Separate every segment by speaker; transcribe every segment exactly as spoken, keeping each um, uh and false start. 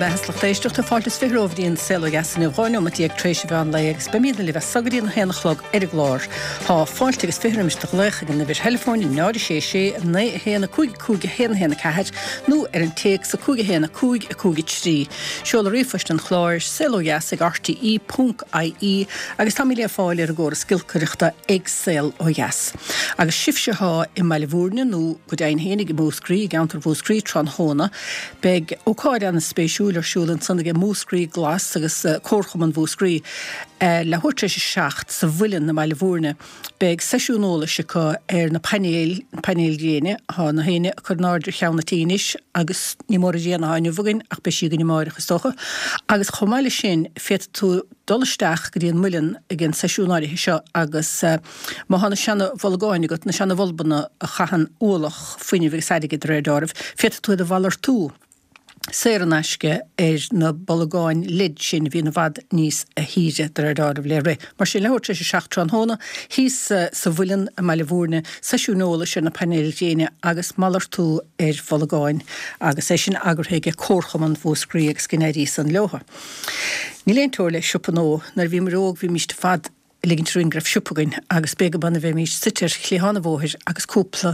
Speaker 1: Ina mbeatha, lucht éisteachta, fáilte is fiche romhaibh go dtí an Saol Ó Dheas inniu, dhá neomat déag tar éis an mheán lae agus beimidne libh as so go dtí an haon a chlog ar an gclár. Tá fáilte agus fiche roimis do ghlaoch ag an uimhir theileafóin náid a sé sé naoi a haon a cúig a cúig a haon a haon a ceathair nó ar an téacs a cúig a haon a cúig a cúig a trí. Seoladh ríomhphoist an chláir, saol ó dheas ag R T E ponc I E agus táimid le fáil ar an gcóras giolcaireachta ag Saol Ó Dheas. Agus sibhse atá i mBaile Bhúirne nó go deimhin féinig i Múscraí, i gceantar Mhúscraí tráthnóna, beidh ócáid an-spéisiúil ar siúl ansan ag Múscraí Glas agus Comharchumann Mhúscraí leathuair tar éis a seacht sa Mhuileann i mBaile Bhúirne. Beidh seisiún eolais acu ar na painéil, painéil ghréine. Tá na héinne ag cur in airde ar cheann an tí anois agus ní mór an ghrian atá inniu againn ach beidh sí againn amárach is dócha. Agus chomh maith leis sin féadfaidh tú dul isteach go dtí an Muileann ag an seisiún áirithe seo agus má tá na seana-bholgáin agat, na seana-bhulbanna a chaitheann ualach fuinnimh agus airgid de réir dealraimh, féadfaidh tú iad a mhalartú saor in aisce ar na bolgáin LED sin a bhíonn i bhfad níos shaoire de réir dealraimh le rith. Mar sin leathuair tar éis a seacht tráthnóna, thíos sa Mhuileann i mBaile Bhúirne, seisiún eolais ar na painéil ghréine agus malartú ar bholgáin agus é sin eagraithe ag Comharchumann Mhúscraí agus go n-éirí san leotha. Níl aon teora le siopa nó nuair a bhíomar óg bhímist ar fad ag ligint orainn go raibh siopa againn agus b'éigean dúinn a bheimís suite ar chliathán an bhóthair agus cúpla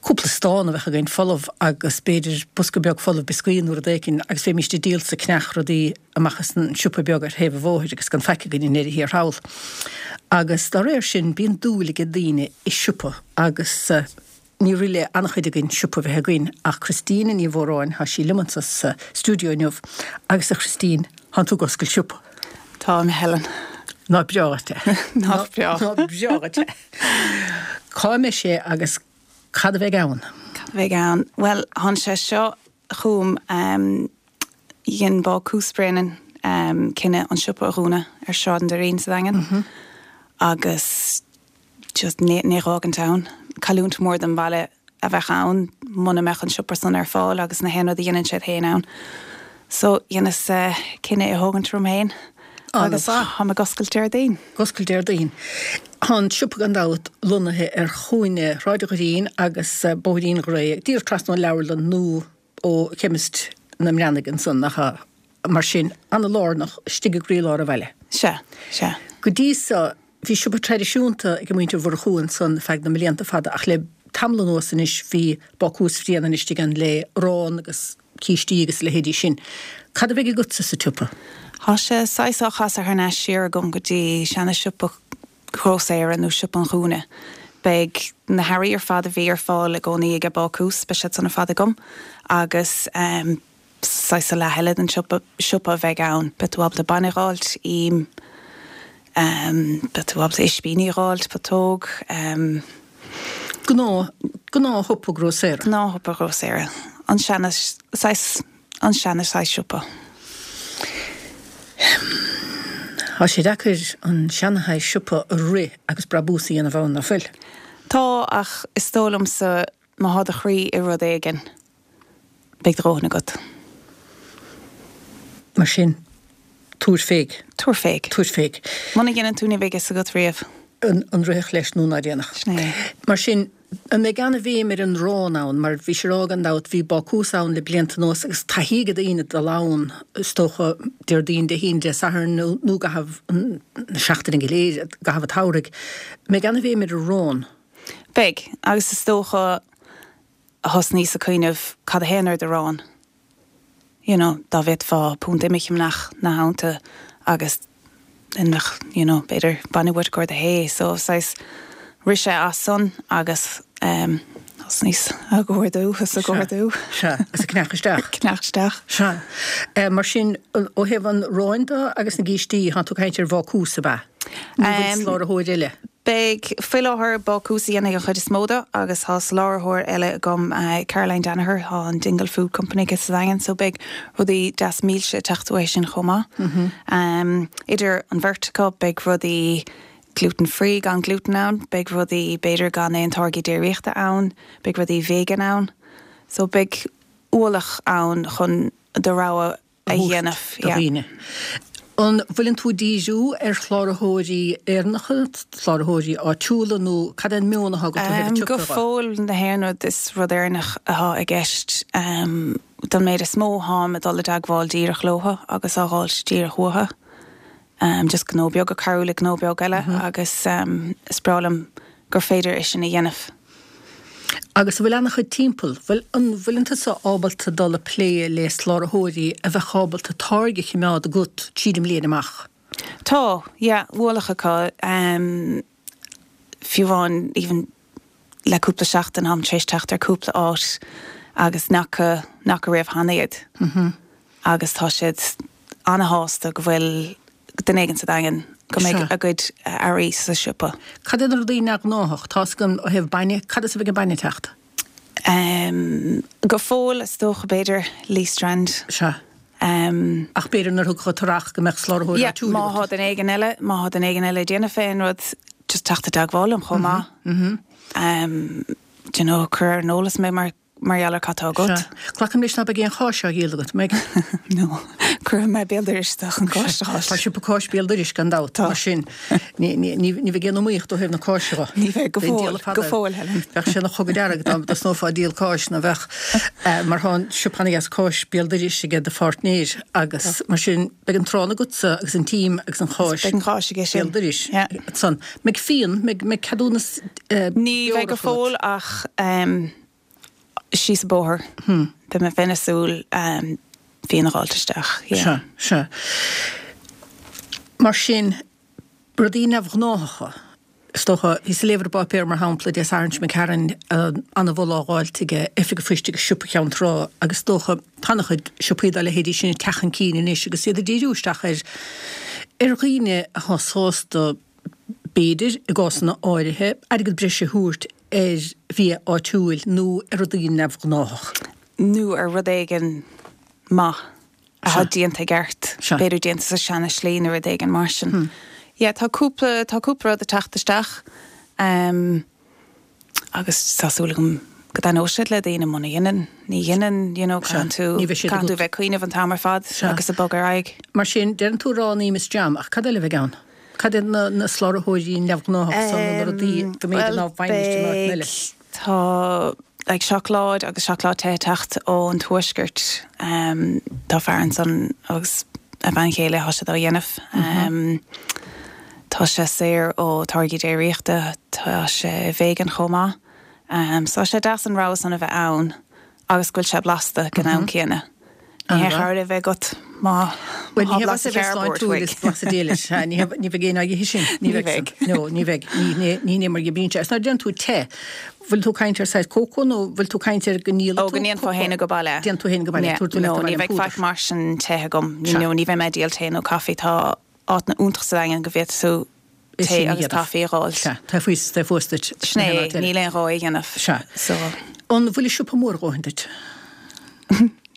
Speaker 1: cúpla stán a bheadh againn folamh agus b'fhéidir bosca beag folamh bioscaí nó rud éicint agus bheimís ag díol is ag ceannach rudaí amach as an siopa beag ar thaobh an bhóthair agus gan faic againn i ndeireadh thiar thall. Agus dá réir sin bíonn dúil ag daoine i siopa agus uh, ní rith le an-chuid againn siopa bheith againn ach Christine Ní Mhóráin tá sí liom sa stiúideo inniu agus a Christine tá tú ag oscailt siopa.
Speaker 2: Tá Helen.
Speaker 1: Ná breá é.
Speaker 2: Ná breá.
Speaker 1: Ná breá é. Cá mbeidh sé agus cad a bheidh ann?
Speaker 2: Cad a bheidh ann? Well tháinig sé seo chugam um, dhein Bácús Bréanainn um, cinneadh an siopa a dhúnadh ar Sráid an Doirín sa Daingean. Mm -hmm. Agus just ní ní fhágaint ann. Cailliúint mór don bhaile a bheith ann muna mbeadh an siopa san ar fáil agus na haon rud a dhéanann siad féin ann. So dheineas uh, cinneadh a thógaint orm féin. Agus tá ag oscailt Déardaoin.
Speaker 1: Oscailt Déardaoin. Tá an siopa gan dabht lonnaithe ar chúinne Shráid an Doirín agus uh, Bóithrín Ghré, díreach trasna ón leabharlann nó ó chemist na mBreathnaigh ansan nach mar sin an-lárnach istigh i gcroílár an bhaile.
Speaker 2: Se, se.
Speaker 1: Go dtí so bhí siopa traidisiúnta ag muintir Mhurchú ansan feadh na mblianta fada ach le tamall anuas anois bhí Bácús Bhréanainn istigh ann le arán agus cístí agus leithéidí sin. Cad a bheidh agatsa sa tsiopa?
Speaker 2: Tá sé saghas á chasadh thar n-ais siar agam go dtí seana siopa grósaera nó siopa an chúinne. Beidh na hearraí ar fad a bhí ar fáil i gcónaí ag bácús beidh siad san ar fad agam agus um, saghas leath eile den siopa siopa a bheidh ann, Beidh tú ábalta bainne a fháilt im um, beidh tú ábalta ispíní a fháilt putóg um,
Speaker 1: Gnáth gnáthshiopa grósaera.
Speaker 2: Gnáthshiopa grósaera. An seana saghas an seana saghas siopa.
Speaker 1: Tá sé deacair an seanashaghas siopa a rith agus brabús a dhéanamh ann nach bhfuil.
Speaker 2: Tá ach is dóigh liomsa má tá do chroí i rud éigin. Beidh do dhóthain agat.
Speaker 1: Mar sin tabhair féig.
Speaker 2: Tabhair féig.
Speaker 1: Tabhair féig.
Speaker 2: Muna ndéanann tú ní bheidh a fhios agat riamh.
Speaker 1: An, an rithfeadh leis nó ná déanach.
Speaker 2: Sin é.
Speaker 1: Mar sin an mbeidh an-bhéim ar an arán ann, mar bhí sé gan dabht bhí bácús ann le blianta anuas agus taithí ag daoine dul ann is dócha Déardaoin Dé hAoine Dé Sathairn nó nó i gcaitheamh na seachtaine go léir i gcaitheamh an tsamhraidh. Mbeidh an-bhéim ar arán.
Speaker 2: Beidh agus is dócha thosnaíos ag cuimhneamh cad a théann ar d'arán. You know, dá bhféadfá punt ime a cheannach na theannta agus inmech you know, b'fhéidir bainne uait go do thae, so saghas rith sé as san agus um, thosnaíos ag ordú is ag ordú.
Speaker 1: Se agus ag ceannach isteach.
Speaker 2: Ceannach isteach.
Speaker 1: Se. Uh, mar sin ó thaobh an aráin de agus na gcístí tá tú ag caint ar bhácús ab ea. Um, soláthróir eile.
Speaker 2: Beidh faoi láthair bácús a dhéanfaidh an chuid is mó de agus tá soláthróir eile agam uh, Caroline Danaher tá an Dingle Food Company agus sa Daingean, so beidh rudaí deas milse teacht uaidh sin chomh maith. Mm -hmm. um, idir an bheirt acu beidh rudaí gluten-free gan gluten ann, beidh rudaí b'fhéidir gan aon táirgí déiríochta ann, beidh rudaí vegan ann. So beidh ualach ann chun do rogha a dhéanamh.
Speaker 1: daoine. An bhfuileann tú ag díriú ar shláraitheoirí Éireannacha, sláraitheoirí áitiúla nó cad é an meon atá agat ó thaobh an
Speaker 2: Go
Speaker 1: tsiopa de?
Speaker 2: fóill na haon rud is rud Éireannach atá i gceist. Don méid is mó táim ag dul i dteagmháil díreach leo agus á dh'fháilt díreach uathu. Just gnó beag ag cabhrú le gnó beag eile agus is breá liom gur féidir é sin a dhéanamh.
Speaker 1: Agus an bhfuil an-chuid timpeall, bhfuil an bhfuileann tusa ábalta dul a plé le sláraitheoirí a bheadh ábalta táirge a choimeád agat tríd an mbliain amach?
Speaker 2: Tá, yeah, ualach acu. Um, fiú amháin even le cúpla seachtain táim tar éis teacht ar cúpla áit agus nach nach raibh cheana iad. Mm -hmm. Agus tá siad an-shásta go bhfuil duine éigin sa Daingean go mbeidh a gcuid earraí sa siopa.
Speaker 1: Cad é na rudaí neamhghnách tá agam ó thaobh bainne, cad is a bheidh an bainne teacht?
Speaker 2: Um, go fóill is dócha b'fhéidir Lee Strand.
Speaker 1: Sea.
Speaker 2: Um,
Speaker 1: Ach b'fhéidir nuair thug tarach go mbeadh sláraitheoir
Speaker 2: yeah, má thá duine éigin eile, má thá duine éigin eile ag déanamh fén rud just teacht i dteagmháil liom chomh maith. Mm -hmm. um, do you know, cur ar an eolas mé mar mar gheall ar cad tá agat.
Speaker 1: Glacaim leis ná beidh aon cháis á dhíol agat, mbeidh?
Speaker 2: No, cuirfidh mé béal dorais chun cáis a fháil.
Speaker 1: Tá siopa cáis béal dorais gan dabht, mar sin ní ní bheidh aon iomaíocht ó thaobh na cáise dhe.
Speaker 2: Ní bheidh go fóill, go fóill, Helen.
Speaker 1: Bheadh sé ina chogadh dearg dá dtosnófá ag díol cáis ná bheadh mar tá an siopa ana-dheas cáis béal dorais aige do pháirtnéir agus mar sin beidh an t-arán agatsa agus an tím agus an cháis
Speaker 2: Beidh an cháis aige sin.
Speaker 1: béal dorais. San. Mbeidh fíon, mbeidh ceadúnas
Speaker 2: Ní bheidh go fóill ach síos an bóthar. Beidh mé féin ag súil fíon a dh'fháilt isteach.
Speaker 1: Sea, sea. Mar sin, rudaí neamhghnáthacha, is dócha, bhíos ag léamh ar an bpáipéar, mar shampla, Dé Sathairn seo imigh tharainn, an-mholadh á dh'fháilt ag Oifig an Phoist agus Siopa Cheann Trá agus is dócha, tá an-chuid siopaí dá leithéidí sin ag teacht chun cinn anois agus iad ag díriú isteach ar ar dhaoine atá sásta, b'fhéidir, i gcásanna áirithe, airgead breise a thabhairt ar bhia áitiúil nó ar rudaí neamhghnáthach.
Speaker 2: Nó ar rud éigin maith atá déanta i gceart, b'fhéidir déanta sa seana slí nó rud éigin mar sin. Yeah, tá cúpla, tá cúpla rud ag teacht isteach um, agus tá súil agam go dtaitneoidh siad le daoine muna dhéanann, ní dhéanann, you know, caithfidh tú, caithfidh tú bheith ag cuimhneamh an t-am ar fad agus ag bogadh ar aghaidh.
Speaker 1: Mar sin, deireann tú arán, im is jam, ach cad eile a bheidh ann? Cad iad na na sláraitheoirí neamhghnáthach san nó na rudaí go mb'fhéidir ná bhfaighimist in áiteanna eile?
Speaker 2: Tá like seacláid agus seacláid te ag teacht ón tuaisceart. Tá fear ansan agus a bhean chéile thá siad á dhéanamh. Tá sé saor ó táirgí déiríochta, tá sé vegan chomh maith. So tá sé deas an rogha san a bheith ann agus go bhfuil sé blasta ag an am céanna. Ní haon chabhair é bheith agat má
Speaker 1: Bhuel, ní bheadh a bheith sláintiúil is blasta dílis. Ní ní bheidh aon aghaidh sin. Ní bheidh. No, ní bheidh. Ní ní ní mar dhíbríonn sé. Is nuair a deireann tú te, bhfuil tú ag caint ar saghas cócó nó bhfuil tú ag caint ar go ndíolfaidh
Speaker 2: tú? Ó, go ndéanfá féin go baile.
Speaker 1: Déanann tú féin go baile.
Speaker 2: Tabhair tú leat abhaile an púdar. No, ní bheidh faic mar sin te agam. No, ní bheidh mé ag díol tae nó caife. Tá áiteanna iontach sa Daingean go bhféadfaidh tú tae agus caife a dh'fháil.
Speaker 1: Sea, tá fuas, tá fuas duit.
Speaker 2: Sin é, níl aon ghá é a dhéanamh.
Speaker 1: Sea. So. An bhfuil an siopa mór a dhóthain duit?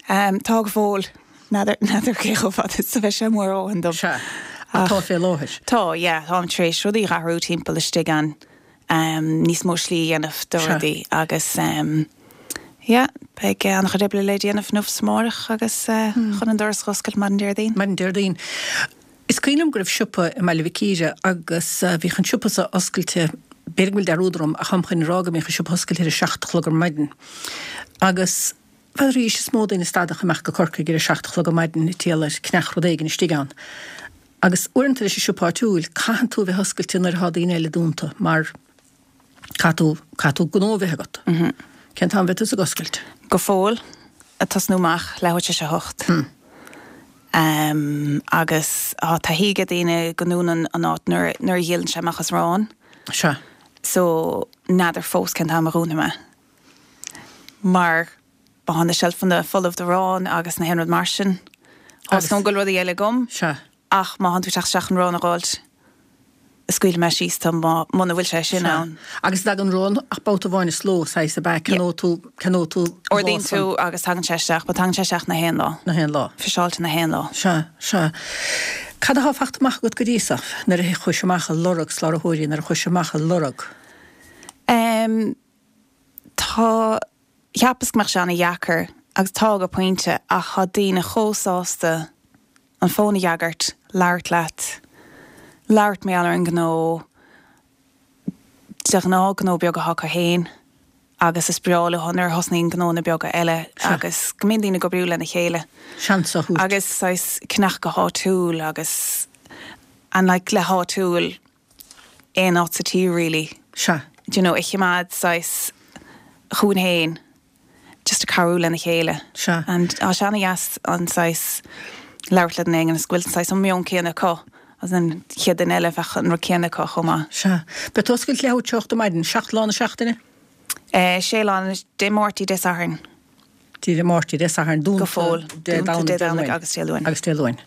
Speaker 2: Tá go fóill. N'fheadar, n'fheadar cé chomh fada is a bheidh sé mór a dhóthain dom.
Speaker 1: Sea. Ach tá fé láthair.
Speaker 2: Tá, yeah, táim tar éis rudaí a athrú timpeall istigh ann, níos mó slí a dhéanamh do rudaí agus yeah, beidh an-chuid oibre le déanamh inniu is amárach agus chun an doras a dh'oscailt maidin Déardaoin.
Speaker 1: Maidin Déardaoin. Is cuimhin liom go raibh siopa i mBaile Mhic Íre agus bhíodh an siopa so oscailte, b'fhéidir go bhfuil dearúd orm ach táim chun a rá go mbíodh an siopa oscailte ar a seacht a chlog ar maidin. Agus n'fheadar is mó daoine a stadfadh amach go Corcaigh ar a seacht a chlog ar maidin ag triall ar ceannach rud éigin istigh ann. Agus uaireanta leis an siopa áitiúil, caitheann tú a bheith oscailte nuair atá daoine eile dúnta mar caithfidh tú, caithfidh tú gnó a bheith agat. Cén t-am a bheidh tusa ag oscailt?
Speaker 2: Go fóill, ag tosnú amach leathuair tar éis a hocht. Agus tá taithí ag daoine go ndúnann an áit nuair nuair a dhíolann sé amach as arán.
Speaker 1: Sea.
Speaker 2: So, n'fheadar fós cén t-am a dhúnfaidh mé. Mar má thá na seilfeanna folamh d'arán agus na haon rud mar sin. Tá 's agam go bhfuil rudaí eile agam.
Speaker 1: Sea.
Speaker 2: Ach má thánn tú ag teacht isteach chun arán a dh'fháilt, scaoilfidh mé síos tú muna bhfuil sé sin
Speaker 1: Sea.
Speaker 2: ann.
Speaker 1: Agus an dtagann arán ach babhta amháin sa ló, saghas ab ea? Ceannóidh tú, ceannóidh tú an lá
Speaker 2: Ordaíonn
Speaker 1: san.
Speaker 2: tú agus tagann sé isteach, but tagann sé isteach na haon lá.
Speaker 1: Na haon lá.
Speaker 2: Friseáilte na haon lá.
Speaker 1: Sea, sea. Cad athá fachta amach agat go dtí so, nuair a chuais amach ag lorg sláraitheoirí, nuair a chuais amach ag lorg?
Speaker 2: Em, tá, cheapas go mbeadh sé ana-dheacair, agus tá go pointe, ach tá daoine chomh sásta an fón a fhreagairt, labhairt leat, labhairt mar gheall ar an ngnó, de ghnáth gnó beag atá acu féin agus is breá leo nuair a thosnaíonn gnónna beaga eile agus go mbíonn daoine ag oibriú lena chéile.
Speaker 1: Seans a thabhairt.
Speaker 2: Agus saghas ceannach go háitiúil agus and like le háitiúil aon áit sa tír really.
Speaker 1: Sea.
Speaker 2: Do you know, a choimeád saghas chugainn féin just a cabhrú lena chéile.
Speaker 1: Sea.
Speaker 2: And tá sé ana-dheas an saghas labhairt le duine éigin is go bhfuil an saghas an meon céanna acu agus an chéad duine eile bheadh an rud céanna acu chomh maith.
Speaker 1: Sea. Beidh tú oscailte leathuair tar éis a hocht ar maidin, seacht lá na seachtaine?
Speaker 2: Eh, sé lá, Dé Máirt, Dé Sathairn.
Speaker 1: Dé Máirt, Dé Sathairn, dúnta
Speaker 2: Go fóill.
Speaker 1: Dé
Speaker 2: Dúnta
Speaker 1: Domhnaigh,
Speaker 2: Dé
Speaker 1: Dé
Speaker 2: Domhnaigh
Speaker 1: Luain.
Speaker 2: agus Dé Luain.
Speaker 1: Agus Dé Luain.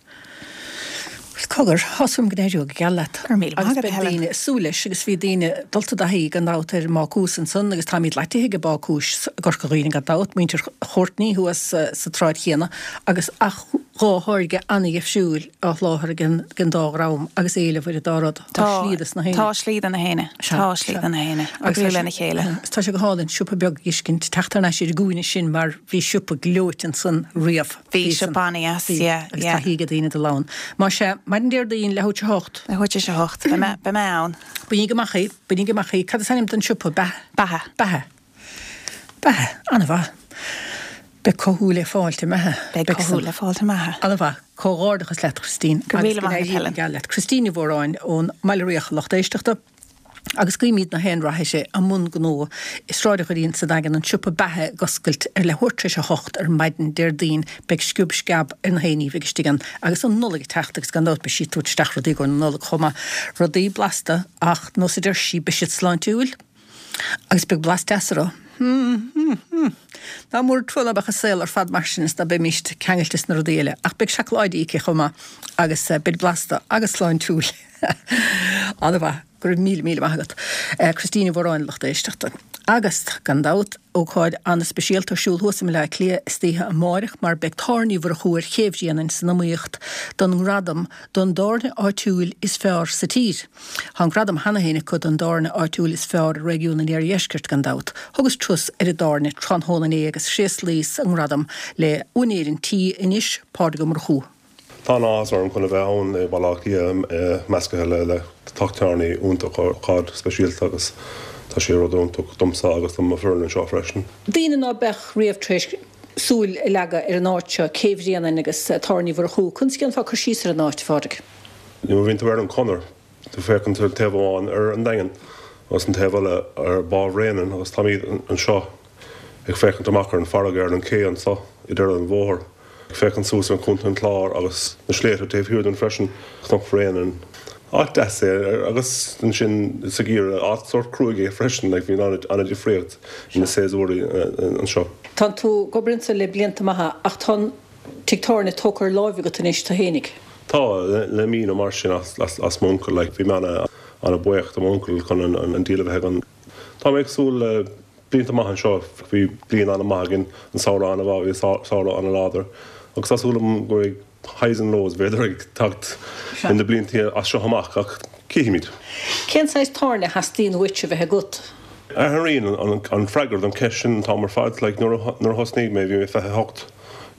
Speaker 1: Bhuel, cogar, tá súil agam go n-éireoidh go geal leat.
Speaker 2: Go raibh míle maith
Speaker 1: Agus
Speaker 2: agat,
Speaker 1: beidh
Speaker 2: Helen.
Speaker 1: daoine ag súil leis agus bhí daoine dulta i dtaithí gan dabht ar an mbácús ansan agus táimid leataithe ag bácúis i gCorca Dhuibhne gan dabht, muintir Chourtney thuas sa tsráid chéanna agus ach dhá tháirge an-dheifriúil á sholáthar ag an ag an dá dhream agus éileamh ar an dá rud. Tá slí dos na héinne.
Speaker 2: Tá slí do na héinne. Tá slí do na héinne. Oibriú lena chéile.
Speaker 1: Agus tá sé go hálainn siopa beag a fheiscint, teacht thar n-ais ar an gcúinne sin mar bhí siopa gleoite ansan riamh.
Speaker 2: Bhí siopa an-dheas, yeah,
Speaker 1: Agus
Speaker 2: yeah.
Speaker 1: taithí ag daoine dul ann. Más ea, maidin Déardaoin leathuair tar éis a hocht.
Speaker 2: Leathuair tar éis a hocht. Beidh mé, beidh mé ann.
Speaker 1: Bainigí amach í, bainigí amach í. Cad is ainm don siopa? Beatha?
Speaker 2: Beatha.
Speaker 1: Beatha. Beatha. An-mhaith. Beidh cothú le fáilt i mBeatha.
Speaker 2: Beidh cothú le fáilt i mBeatha.
Speaker 1: An-mhaith. Comhghairdeachas leat, Christine.
Speaker 2: Go raibh míle
Speaker 1: Agus go
Speaker 2: maith agat,
Speaker 1: n-éirí
Speaker 2: Helen.
Speaker 1: go geal leat. Christine Ní Mhóráin ón mBaile Riach, lucht éisteachta. Agus guímid na haon rath uirthi i mbun gnó i Sráid an Doirín sa Daingean, an siopa Beatha ag oscailt ar leathuair tar éis a hocht ar maidin Déardaoin. Beidh sciob sceab ar na haon ní a bheidh istigh ann agus an Nollaig ag teacht agus gan dabht beidh sí ag tabhairt isteach rudaí i gcomhair na Nollag chomh maith. Rudaí blasta ach nós a deir sí beidh siad sláintiúil agus beidh blas deas orthu. Hmm, hmm, hmm. Nach mór an trua ná beadh an saol ar fad mar sin is ná beimis ceangailte sna rudaí eile. Ach beidh seacláidí aici chomh maith agus beidh blasta agus sláintiúil. An-mhaith. Go raibh míle míle maith agat. Christine Ní Mhóráin, lucht éisteachta. Agus, gan dabht, ócáid an-speisialta ar siúl thuas i mBaile Átha Cliath istoíche amáireach mar beidh Tábhairne Uí Mhurchú ar Ché Bhréanainn san iomaíocht don ngradam don dtábhairne áitiúil is fearr sa tír. Tá an gradam cheana féin acu don dtábhairne áitiúil is fearr i réigiún an Iardheiscirt gan dabht. Thugas turas ar an dtábhairne tráthnóna inné agus thréaslaíos an ngradam le úinéir an tí anois, Pádraig Ó Murchú.
Speaker 3: Tá an-áthas orm chun a bheith ann i Baile Átha Cliath measctha le le teach tábhairne iontach, ócáid speisialta agus tá sé rud iontach domsa agus do mo foireann anseo freisin.
Speaker 1: Daoine ná beadh riamh tar éis súil a leagadh ar an áit seo, Cé Bhréanainn agus Tábhairne Uí Mhurchú, conas a dhéanfá cur síos ar an áit, a Phádraig?
Speaker 3: Nuair a bhíonn tú ar an chonair, tú féachann tú taobh amháin ar an Daingean agus an taobh eile ar Bhá Bhréanainn agus táimid anseo ag féachaint amach ar an farraige ar an cé anseo i deireadh an bhóthair. Ag féachaint suas ar Chontae an Chláir agus na sléibhte taobh thiar dúinn freisin, Cnoc Bhréanainn. Áit deas é agus ansin sa gheimhreadh áit sórt cruaidh é freisin, like bhíonn an-difríocht na séasúir anseo.
Speaker 1: Tá tú ag obair anseo le blianta maithe ach tá an tigh tábhairne tógtha ar láimh agat anois tú fhéinig.
Speaker 3: Tá, le mí nó mar sin as as m'uncail, like bhí mé ana-bhuíoch do m'uncail chun an deal a bheith againn. Tá mé ag súil le blianta maith anseo, bhí bliain an-mhaith againn, an samhradh an-mhaith, bhí samhradh an-láidir agus tá súil agam go mbeidh highs and lows b'fhéidir ag teacht in na blianta as seo amach ach cífimid.
Speaker 1: Cén saghas tábhairne a theastaíonn uait a bheith agat?
Speaker 3: Athraíonn an freagra don cheist sin an t-am ar fad, like nuair a thosnaigh mé bhí mé fiche a hocht,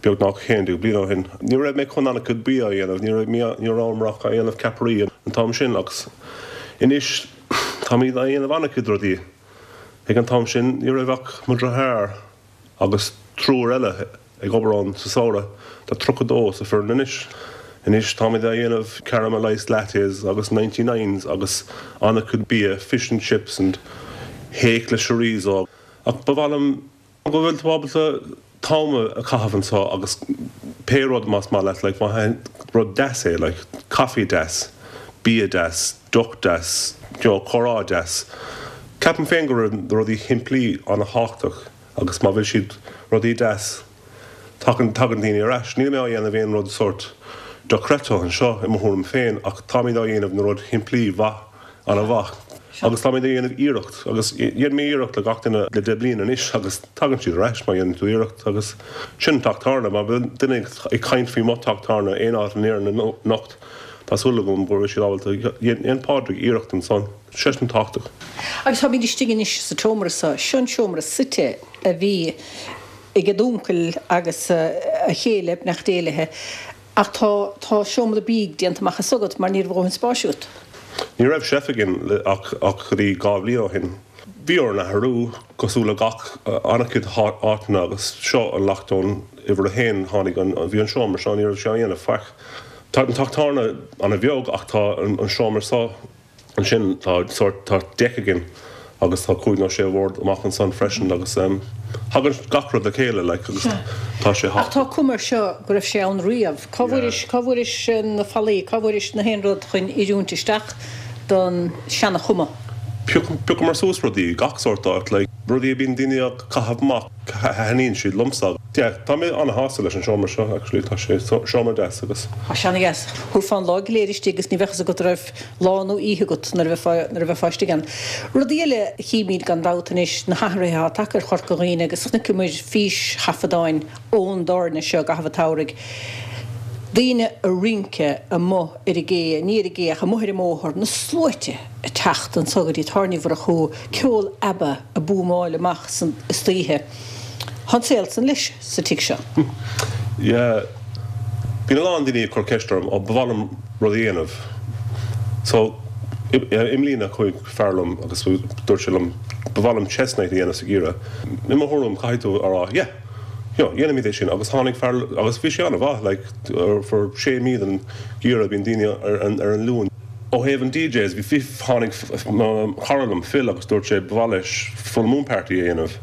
Speaker 3: beagnach haon déag bliain ó shin. Ní raibh mé chun an-chuid bia a dhéanamh, ní raibh ní raibh ach á dhéanamh ceapairí an t-am sin agus anois táimid á dhéanamh an-chuid rudaí. Ag an t-am sin ní raibh ach mo dheartháir agus triúr eile ag obair ann sa samhradh. Tá tríocha dó sa foireann anois. Anois táimid á dhéanamh caramelised lattes agus ninety nines agus an-chuid bia, fish and chips and hake le chorizo. Ach ba mhaith liom go bhfuil tú ábalta t-am a chaitheamh anseo agus pé rud más maith leat, like má rud deas é, like caife deas, bia deas, deoch deas, you know, comhrá deas. Ceapaim féin go raibh na rudaí shimplí an-tábhachtach agus má bhfuil siad rudaí deas, tagann tagann daoine ar ais. Níl mé á dhéanamh aon rud sórt dochreidte anseo i mo thuairim féin ach táimid á dhéanamh na rud shimplí mhaith an-mhaith agus táimid á dhéanamh iarracht agus dhéan mé iarracht le gach duine le deich bliana anois agus tagann siad ar ais má dhéanann tú iarracht agus sin teach tábhairne. Má bhíonn duine ag caint faoi mo teach tábhairne aon áit in Éirinn anocht tá súil agam go bhfuil siad ábalta dhein Pádraig iarracht ansan. Sé sin tábhachtach.
Speaker 1: Agus táimid istigh anois sa tseomra seo, seo an seomra suite a bhí ag d'uncail agus a chéile, beannacht Dé léi. Ach tá tá seomra bídh déanta amach as agat mar ní raibh dóthain spáis agat.
Speaker 3: Ní raibh chef againn ach ach go dtí dhá bhliain ó shin. Bhí orainn athrú cosúil le gach an-chuid áiteanna agus seo an lockdown uimhir a haon tháinig an bhí an seomra seo ní raibh sé á dhéanamh faic. Tá an teach tábhairne an-bheag ach tá an seomra seo ansin tá sórt tá deck againn agus tá cúig nó sé bhord amach ansan freisin agus thagann gach rud le chéile like agus tá sé
Speaker 1: Ach tá cuma air seo go raibh sé ann riamh. Cá bhfuairis cá bhfuairis na fallaí, cá bhfuairis na haon rud chun oiriúint isteach don seana-chuma?
Speaker 3: Phiocamar suas rudaí gach sórt áit like rudaí a bíonn daoine á caitheamh amach thaitníonn siad liomsa. Yeah, tá mé an-shásta leis an seomra seo actually tá sé seomra deas agus.
Speaker 1: Tá sé ana-dheas. Thabharfá an lá go léir istigh agus ní bheadh fhios agat an raibh lá nó oíche agat nuair a bheifeá nuair a bheifeá istigh ann. Rudaí eile a chímid gan dabht anois na hathruithe atá tagtha ar Chorca Dhuibhne agus chonaiceamar físthaifeadáin ón dtábhairne seo i gcaitheamh an tsamhraidh. Daoine ag rince amuigh ar an gcé, ní ar an gcé ach amuigh ar an mbóthar, na sluaite ag teacht anso go dtí Tábhairne Mhurchú, ceol ABBA ag búmáil amach san istoíche. Tá an saol san leis sa tigh seo.
Speaker 3: Yeah. Bíonn a lán daoine ag cur ceist orm, ó ba mhaith liom rud a dhéanamh. So, i mbliana chuaigh fear liom agus dúirt sé liom ba mhaith liom chess night a dhéanamh sa gheimhreadh. I mo thuairim caithfidh tú a rá, yeah, you know, dhéanfaimid é sin agus tháinig fear agus bhí sé an-mhaith like for sé mí den gheimhreadh bíonn daoine ar an ar an Luan. Ó thaobh an DJs bhí tháinig cara liom Phil agus dúirt sé ba mhaith leis full moon party a dhéanamh.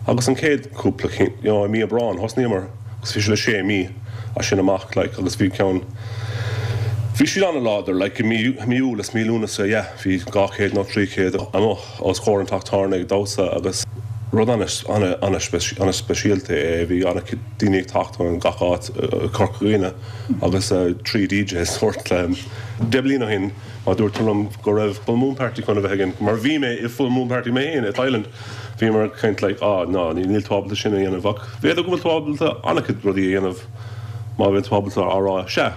Speaker 3: Agus an chéad cúpla you know, mí Aibreán thosnaíomar agus bhí sé le sé mí as sin amach like agus bhí ceann Bhí siad an-láidir like i mí mí Iúil is mí Lúnasa yeah, bhí dhá chéad nó trí chéad amuigh os comhair an teach tábhairne ag damhsa agus rud an-speisialta é bhí an-chuid daoine ag teacht ón gach áit Corca Dhuibhne agus trí DJ sórt deich bliana ó shin má dúirt tú liom go raibh full moon party chun a bheith againn mar bhí mé i full moon party mé féin i Thailand bhí mar caint like ah ná níl tú ábalta sin a dhéanamh ach b'fhéidir go bhfuil tú ábalta an-chuid rudaí a dhéanamh má bhíonn tú ábalta a rá sea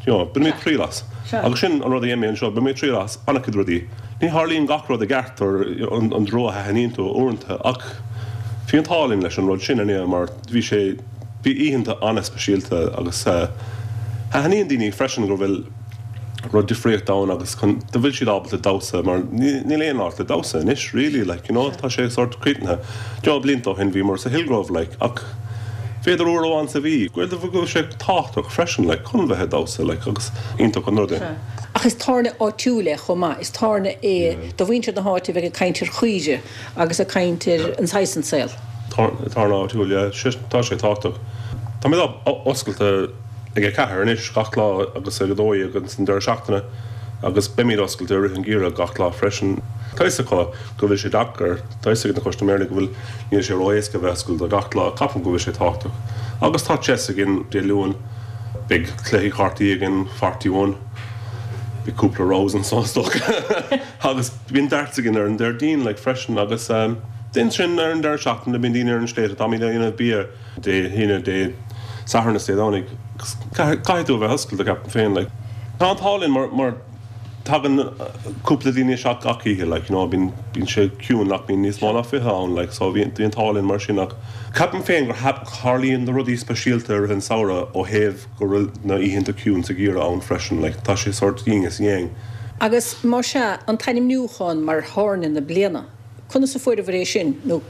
Speaker 3: you know, bainfidh mé triail as. Agus sin an rud a dhéan mé anseo, bainfidh mé triail as an-chuid rudaí. Ní tharlaíonn gach rud i gceart ar an dtreo a thaitníonn tú uaireanta ach bhí an t-ádh linn leis an rud sin inné mar bhí sé bhí oícheanta an-speisialta agus thaitníonn daoine freisin go bhfuil rud difríocht ann agus chun go bhfuil siad ábalta damhsa mar níl aon áit le damhsa anois really like you know tá sé sort críochnaithe. Deich blianta ó shin bhíomar sa Hillgrove like ach b'fhéidir uair amháin sa mhí go bhfuil sé tábhachtach freisin like chun bheith ag damhsa like agus iontach an rud é.
Speaker 1: Ach is tábhairne áitiúil é chomh maith, is tábhairne é do mhuintir na háite a bheith ag caint ar chaoire agus ag caint ar an saghas an saol.
Speaker 3: Tábhairne áitiúil yeah, tá sé tábhachtach. Táimid oscailte ag a ceathair anois gach lá agus ag a dó dhéag agus an deireadh seachtaine agus beimid oscailte i rith an gheimhridh gach lá freisin. Tá fhios acu go bhfuil sé deacair, tá fhios ag na custaiméirí go bhfuil níl sé ró-éasca bheith oscailte gach lá, ceapaim go bhfuil sé tábhachtach. Agus tá chess againn Dé Luain, beidh cluichí cártaí againn forty one, beidh cúpla rows anso is dócha agus bíonn darts againn ar an Déardaoin like freisin agus um, ansin ar an deireadh seachtaine bíonn daoine ar an sléibhe táimid ag déanamh bia Dé hAoine Dé Sathairn is Dé Domhnaigh caithfidh tú a bheith oscailte ceapaim féin like. Tá an t-ádh linn mar mar tagann cúpla daoine isteach gach oíche like you know bíonn bíonn sé ciúin ach bíonn níos mó ná fiche ann like so bhíonn bíonn an t-ádh linn mar sin ach ceapaim féin gur tharlaíonn na rudaí speisialta ar an samhradh ó thaobh go bhfuil na oícheanta ciúin sa gheimhreadh ann freisin like tá sé sort yin is yang.
Speaker 1: Agus má sea an t-ainmniúchán mar thábhairne na bliana, conas a fuaireabhair é sin nó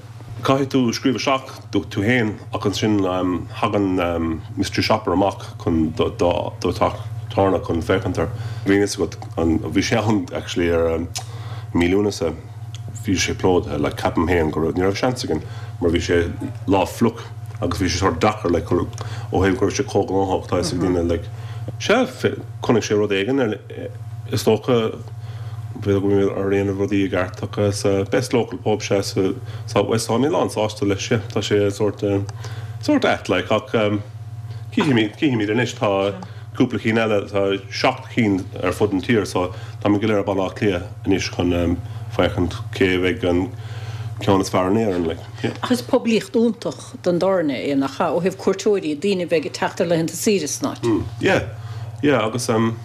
Speaker 3: Caithfidh tú scríobh isteach do tú féin ach ansin um, thagann um, Mystery Shopper amach chun do do do teach tábhairne chun féachaint air. Bhí fhios agat an bhí sé ann actually ar um, mí Lúnasa bhí sé plódaithe le ceapaim féin go raibh ní raibh seans againn mar bhí sé lá fliuch agus bhí sé sort deacair le ó thaobh go raibh sé chomh gnóthach tá ag daoine like sé chonaic sé rud éigin ar is dócha bhí go ar aon rudaí i gceart agus best local pub sé sa South West tá mé lán-sásta leis sé tá sé sort sort ait like ach cífimid cífimid anois tá cúpla cinn eile tá seacht cinn ar fud an tír so tá mé go léir Baile Átha Cliath anois chun féachaint cé bheidh an ceann is fearr in Éirinn like. Yeah.
Speaker 1: Ach is poiblíocht iontach don dtábhairne é nach ea ó thaobh cuairteoirí daoine bheith ag teacht ar laethanta saoire san áit.
Speaker 3: Mm, yeah, yeah agus um,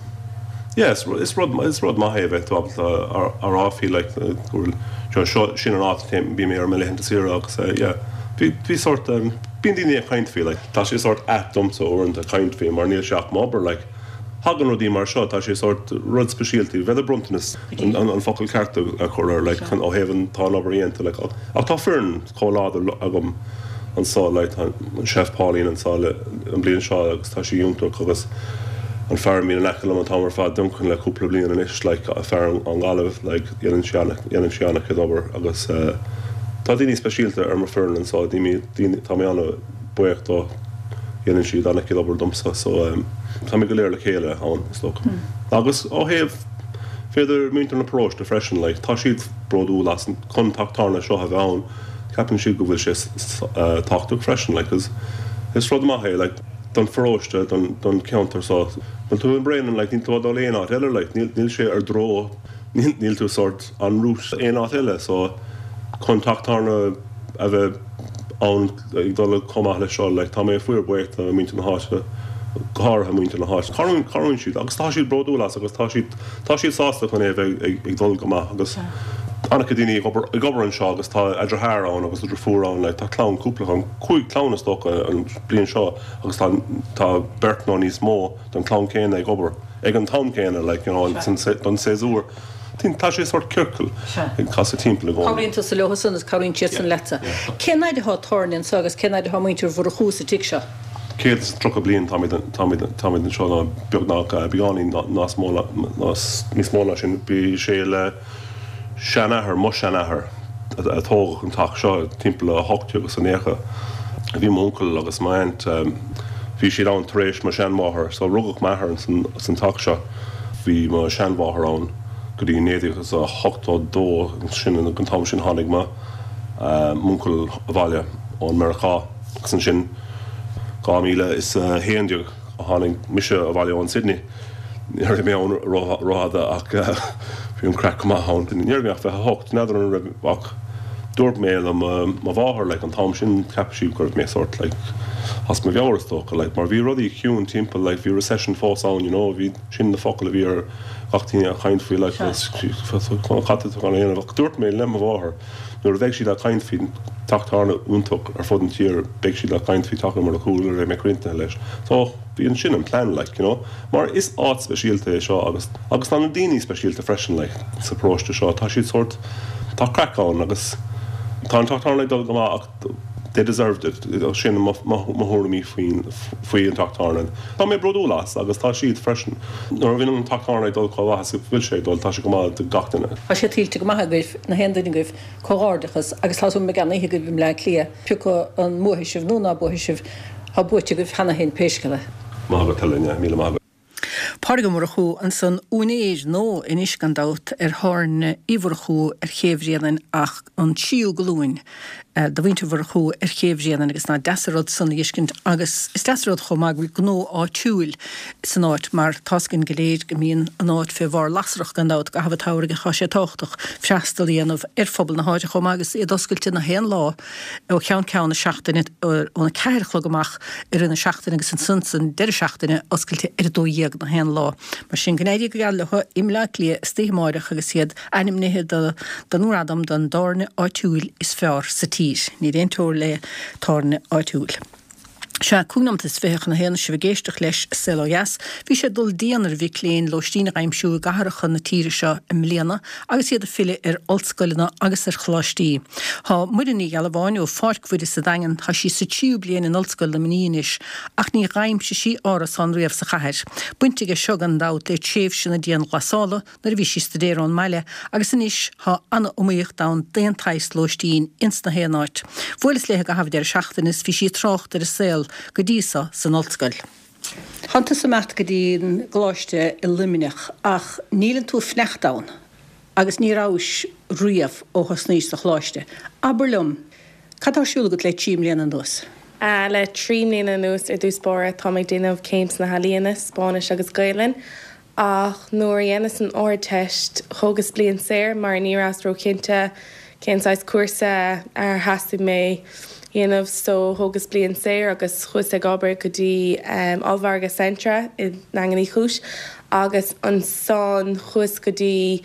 Speaker 3: yeah, is, is rud is rud maith é bheith ábalta a rá faoi like go bhfuil seo sin an áit bhí mé ar mo laethanta saoire agus uh, yeah, bhí bhí sort um, Bíonn daoine ag caint faoi, like, tá sé sórt ait domsa uaireanta caint faoi mar níl sé ach m'obair, like, thagann rudaí mar seo, tá sé sórt rud speisialta, b'fhéidir bronntanas an, an, an focal ceart a chur air, like, chun ó thaobh an tá an obair dhéanta, like, ach tá foireann chomh láidir agam anso, like, tá an chef Pauline anso le an bliain seo agus tá sí iontach agus an fear a bhíonn in aice liom an t-am ar fad, Duncan, le cúpla bliain anois, like, fear an Ghaillimh, like, dhéanann sé ana, dhéanann sé ana-chuid obair agus eh, tá daoine speisialta ar mo foireann anso, daoine, daoine, tá mé an-bhuíoch dó, dhéanann siad ana-chuid obair domsa, so um, tá mé go léir le chéile ann, is dócha. Agus ó thaobh b'fhéidir muintir na paróiste freisin, like, tá siad bródúil as an chun teach tábhairne seo a bheith ann, ceapann siad go bhfuil sé s- s- eh, tábhachtach freisin, like, is, is rud maith é, like, don pharóiste, don, don ceantar so. Níl tú in Bréanainn, like, níl tú ag dul aon áit eile, like, níl, níl sé ar dtreo, níl, níl tú sort en route aon áit eile, so chun teach tábhairne a bheith ann ag dul chomh maith leis seo, like, tá mé fíorbhuíoch do muintir na háite, go háirithe muintir na háite. Cabhraíonn cabhraíonn siad agus tá siad bródúil as agus tá siad tá siad sásta chun é a bheith ag, ag dul go maith agus an-chuid daoine ag obair ag obair anseo agus tá a deartháir ann agus a deirfiúr ann, like, tá clann cúpla ann, cúig clann is dócha an bliain seo agus tá tá beirt nó níos mó den chlann céanna ag obair ag an t-am céanna, like, you know, don don séasúr. Tá sé sort ciorcal ag casadh timpeall i gcónaí.
Speaker 1: Cabhraíonn tusa leo san agus cabhraíonn siad san leatsa. Cén fhad atá tábhairne anseo agus cén fhad atá muintir Mhurchú sa tigh seo?
Speaker 3: Céad is tríocha bliain táimid táimid táimid anseo ná beagnach beagáinín níos mó níos mó ná sin bhí sé le seanathair mo seanathair a tógadh an teach seo timpeall a hocht agus a naocha. Bhí m'uncail agus m'aint bhí siad ann tar éis mo seanmháthair, so rugadh m'athair san san teach seo. Bhí mo seanmháthair ann go dtí naoi déag a hocht dó sin an t-am sin tháinig mo m'uncail abhaile ón Meiriceá agus ansin dhá míle is a haon déag a tháinig mise abhaile ón Sydney. Ní raibh mé ann rófhada ach bhí an craic go maith ann. Ní raibh mé ach fiche a hocht, n'fheadar an raibh ach dúirt mé le mo mháthair like, an t-am sin cheap sí go raibh mé sort like, as mo mheabhair is dócha like, mar bhí rudaí ciúin timpeall like, bhí recession fós ann you know, bhí sin na focail a bhí ar gach duine ag caint faoi like, cad tá á dhéanamh ach dúirt mé le mo mháthair nuair a bheidh siad ag caint faoi teach tábhairne iontach ar fud an tír beidh siad ag caint faoi teach Murchú a raibh mé críochnaithe leis. So bhí an sin an plan like, you know? Mar is áit speisialta é seo agus agus tá na daoine speisialta freisin like, sa paróiste seo tá siad sort tá craic ann agus tá an teach tábhairne ag dul go maith ach they deserved it sin mo thuairimí faoin faoi an teach tábhairne. Tá mé bródúil as agus tá siad freisin. Nuair a bhíonn an teach tábhairne ag dul chomh maith is bhfuil sé ag dul tá sé go maith do gach duine.
Speaker 1: Tá sé tuillte go maith agaibh na haon duine agaibh comhghairdeachas agus tá mé gan oíche agaibh i mBleá Cliath pé an mbuafaidh sibh nó ná buafaidh sibh tá buaite agaibh cheana féin pé scéal é.
Speaker 3: Maith agat Helen, míle maith.
Speaker 1: Pádraig Ó Murchú ansan úinéir nó anois gan dabht ar thábhairne Uí Mhurchú ar Ché Bhréanainn ach an tríú glúin de mhuintir Mhurchú ar Ché Bhréanainn agus nach deas an rud san a fheiscint agus is deas an rud chomh maith go bhfuil gnó áitiúil san áit mar tá a fhios againn go léir go mbíonn an áit fé bharr lasrach gan dabht i gcaitheamh an tsamhraidh tá sé tábhachtach freastal a dhéanamh ar phobal na háite chomh maith agus iad oscailte na haon lá ó cheann ceann na seachtaine óna ceathair a chlog amach i rith na seachtaine agus ansan san deireadh seachtaine oscailte ar a dó dhéag na haon lá. Mar sin go n-éirí go geal leo i mBleá Cliath istoíche amárach agus iad ainmnithe do don ngradam don tábhairne áitiúil is fearr sa tír. Níl aon teora le tábhairne áitiúil. Sea, cúig nóiméad is fiche chun a haon sibh ag éisteacht leis Saol Ó Dheas. Bhí sé ag dul dian ar mhic léinn lóistín a aimsiú i gcathracha na tíre seo i mbliana agus iad ag filleadh ar ollscoileanna agus ar choláistí. Tá Muireann Ní Ghealbháin ó Pháirc Mhuire sa Daingean tá sí sa tríú bliain in Ollscoil Luimnigh anois ach níor aimsigh sí árasán riamh sa chathair. Baint aige seo gan dabht le tréimhse na dianghlasála nuair a bhí sí ag staidéar ón mbaile agus anois tá an-iomaíocht ann d'aon tsaghas lóistín ins na haon áit. Bhuaileas léi i gcaitheamh deireadh seachtaine is bhí sí ag trácht ar a saol go dtí seo san ollscoil. Tá tusa ag imeacht go dtí an gcoláiste i Luimneach ach níleann tú ag fanacht ann agus ní rabhais riamh ó thosnaís sa choláiste. Abair liom, cad tá ar siúl agat le trí mbliana anuas?
Speaker 4: Uh, le trí mbliana anuas ar dtús báire tá mé ag déanamh céim sna healaíona, Spáinnis agus Gaelainn, ach nuair a dhéanas an Ardteist thógas bliain saor mar ní rabhas róchinnte cén saghas cúrsa ar theastaigh mé dhéanamh so thógas bliain saor agus chuas ag obair go dtí um, ollmhargadh Centra i nDaingean Uí Chúis agus ansan chuas go dtí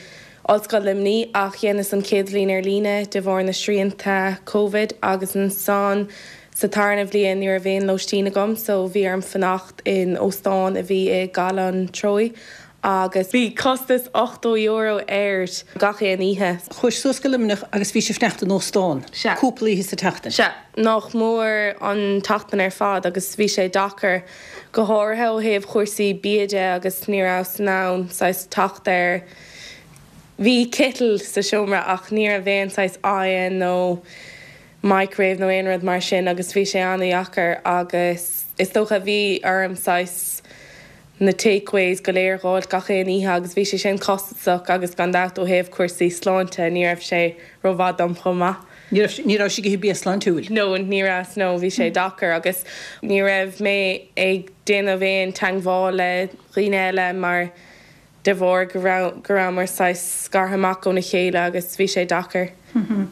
Speaker 4: Ollscoil Luimnigh ach dhéanas an chéad bhliain ar líne de bharr na srianta COVID agus ansan Sa tarna bhliain ní raibh aon lóistín agam so bhí orm fanacht in óstán a bhí i gCaladh an Treoigh agus bhí costas ochtó euro air gach aon oíche.
Speaker 1: Chuais suas go Luimneach agus bhís ag fanacht in óstán.
Speaker 4: Sea.
Speaker 1: Cúpla oíche sa tseachtain.
Speaker 4: Sea, nach mór an tseachtain ar fad agus bhí sé deacair go háirithe ó thaobh chúrsaí bia de agus ní rabhas in ann saghas teacht ar Bhí kettle sa seomra ach ní raibh aon saghas oigheann nó microwave nó aon rud mar sin agus bhí sé an-deacair agus is dócha bhí orm saghas na takeaways go léir a fháil gach aon oíche agus bhí sé sin costasach agus gan dabht ó thaobh cúrsaí sláinte ní raibh sé rómhaith dom chomh maith.
Speaker 1: Ní raibh ní raibh sibh ag ithe bia sláintiúil.
Speaker 4: No, ní raibh no, bhí sé deacair agus ní raibh mé ag déanamh aon teagmháil le dhaoine eile mar de bharr go raibh go rabhamar saghas scartha amach óna chéile agus bhí sé deacair.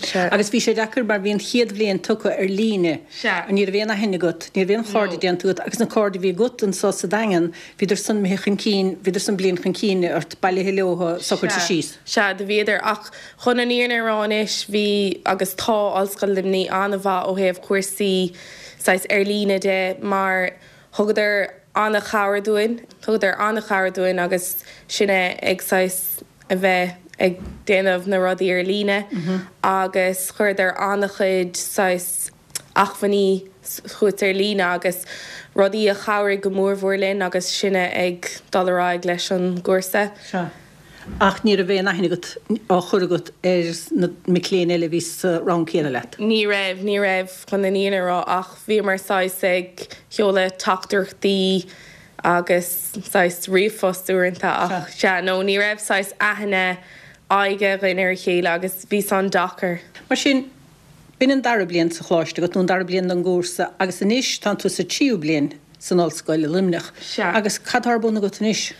Speaker 4: Sea.
Speaker 1: Agus bhí sé deacair mar bhí an chéad bhliain tugtha ar líne.
Speaker 4: Sea.
Speaker 1: Ní raibh aon aithne agat, ní raibh aon chairde
Speaker 4: No.
Speaker 1: déanta agat agus na cairde a bhí agat anseo sa Daingean, bhíodar san imithe chun cinn, bhíodar san bliain chun cinn ort bailithe leo socraithe
Speaker 4: Sea.
Speaker 1: síos.
Speaker 4: Sea, do bhíodar ach chun an fhírinne a rá anois bhí agus tá Ollscoil Luimnigh an-mhaith ó thaobh cúrsaí saghas ar líne de mar thugadar an-chabhair dúinn, thugadar an-chabhair dúinn agus sinne ag saghas a bheith ag déanamh na rudaí ar líne agus chuireadar an-chuid saghas acmhainní chugat ar líne agus rudaí a chabhraigh go mórmhór linn agus sinne ag dul ar aghaidh leis an gcúrsa.
Speaker 1: Sea. Ach ní raibh aon aithne agat á chur agat ar na mic léinn eile a bhí sa rang céanna leat.
Speaker 4: Ní raibh, ní raibh chun an fhírinne a rá ach bhíomar saghas ag seoladh teachtaireachtaí agus saghas ríomhphost uaireanta ach sea, no, ní raibh saghas aithne aghaidhe againn ar a chéile agus bhí san deacair.
Speaker 1: Mar sin, b'in an dara bliain sa choláiste agat nó an dara bliain den gcúrsa agus anois tánn tú sa tríú bliain san ollscoil i Luimneach.
Speaker 4: Sea.
Speaker 1: Agus cad tá ar bun agat anois?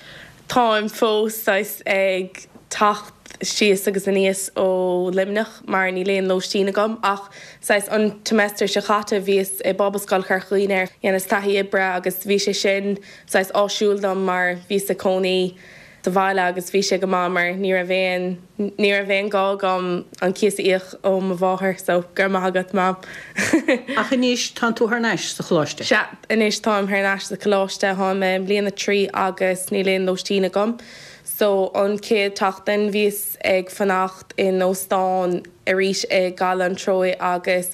Speaker 4: Táim fós saghas ag teacht síos agus aníos ó Luimneach mar níl aon lóistín agam ach saghas an tsemester seo caite bhíos i bPobalscoil Chorca Dhuibhne dhéanas taithí oibre agus bhí sé sin saghas áisiúil dom mar bhíos i cónaí sa bhaile agus bhí sé go maith mar ní raibh aon ní raibh aon gá agam an cíos a íoc ó mo mháthair so go raibh maith agat mam.
Speaker 1: Ach anois tánn tú thar n-ais sa choláiste.
Speaker 4: Sea, anois táim thar n-ais sa choláiste, táim i mbliain a trí agus níl aon lóistín agam. So an chéad tseachtain bhíos ag fanacht in óstán arís i gCaladh an Treoigh agus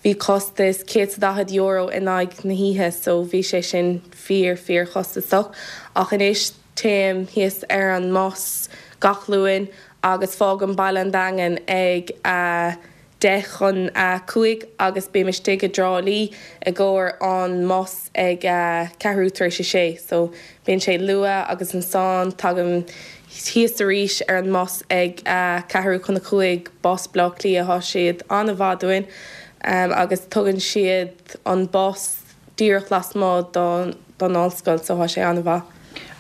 Speaker 4: bhí costas céad is daichead euro in aghaidh na hoíche so bhí sé sin fíor fíor chostasach ach anois téim thíos ar an mbus gach Luan agus fágaim Baile an Daingin ag a deich chun a cúig agus bím istigh i dTrá Lí i gcomhair an mbus ag a ceathrú tar éis a sé so bíonn sé luath agus ansan tagaim thíos arís ar an mbus ag a ceathrú chun a cúig bus Baile Átha Cliath tá siad an-mhaith dúinn agus tugann siad an bus díreach lasmuigh don don ollscoil so tá sé an-mhaith.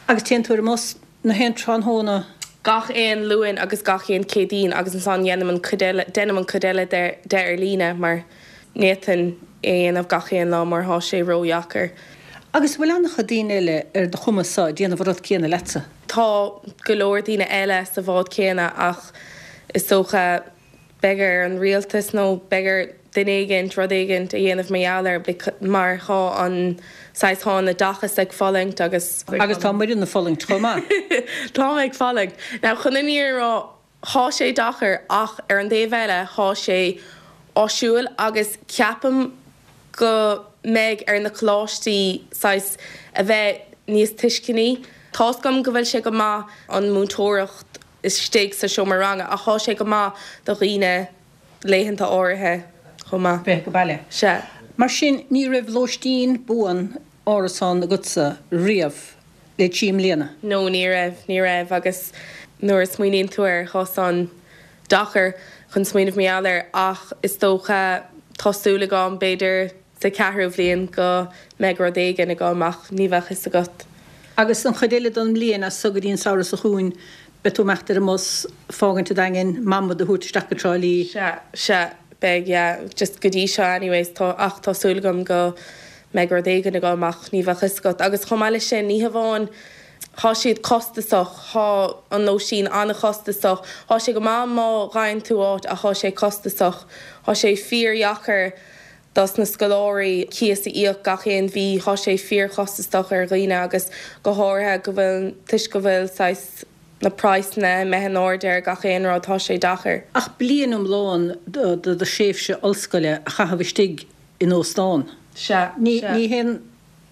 Speaker 1: Agus téann tú ar an mbus na haon tráthnóna?
Speaker 4: Gach aon Luan agus gach aon Céadaoin agus ansan dhéanaim an cuid eile déanaim an cuid eile de de ar líne mar ní fhéadfainn é a dhéanamh gach aon lá mar tá sé ródheacair.
Speaker 1: Agus bhfuil an-chuid daoine eile ar do chuma-sa ag déanamh an rud céanna leatsa?
Speaker 4: Tá go leor daoine eile sa bhád céanna ach is dócha beidh ar an rialtas nó beidh ar duine éigint rud éigint a dhéanamh mar gheall air mar tá an saghas tá an oideachas ag fulaingt agus.
Speaker 1: Agus tá muidne ag fulaingt chomh maith.
Speaker 4: Tá ag fulaingt. Now chun an fhírinne a rá tá sé deacair ach ar an dtaobh eile tá sé áisiúil agus ceapaim go mbeidh ar na coláistí saghas a bheith níos tuisceanaí. Tá's agam go bhfuil sé go maith an múinteoireacht istigh sa seomra ranga ach tá sé go maith do dhaoine laethanta áirithe chomh maith.
Speaker 1: Bheith go baile.
Speaker 4: Sea.
Speaker 1: Mar sin ní raibh lóistín buan árasán agatsa riamh le trí mbliana?
Speaker 4: No, ní raibh, ní raibh agus nuair a smaoiníonn tú air tá san deacair chun smaoineamh mar gheall air ach is dócha tá súil agam b'fhéidir sa ceathrú bhliain go mbeidh rud éigin agam ach ní bheadh fhios agat.
Speaker 1: Agus an chuid eile den mbliain as so go dtí an samhradh seo chugainn, beidh tú ag imeacht ar an mbus, fágaint an Daingin, mama do thabhairt isteach go Trá Lí.
Speaker 4: Sea, sea, beidh, yeah, just go dtí seo anyways, tá, ach tá súil agam go mbeidh rud éigin agam ach ní bheadh fhios agat. Agus chomh maith leis sin, ní hamháin, thá siad costasach, thá an lóistín an-chostasach, thá sé go maith má fhaigheann tú áit ach thá sé costasach, thá sé fíordheacair dos na scoláirí cíos a íoc gach aon mhí tá sé fíorchostasach ar dhaoine agus go háirithe go bhfuil toisc go bhfuil saghas na praghsanna imithe in airde ar gach aon rud tá sé deacair.
Speaker 1: Ach bliain iomlán do do thréimhse ollscoile a chaitheamh istigh in óstán.
Speaker 4: Sea,
Speaker 1: Ní ní haon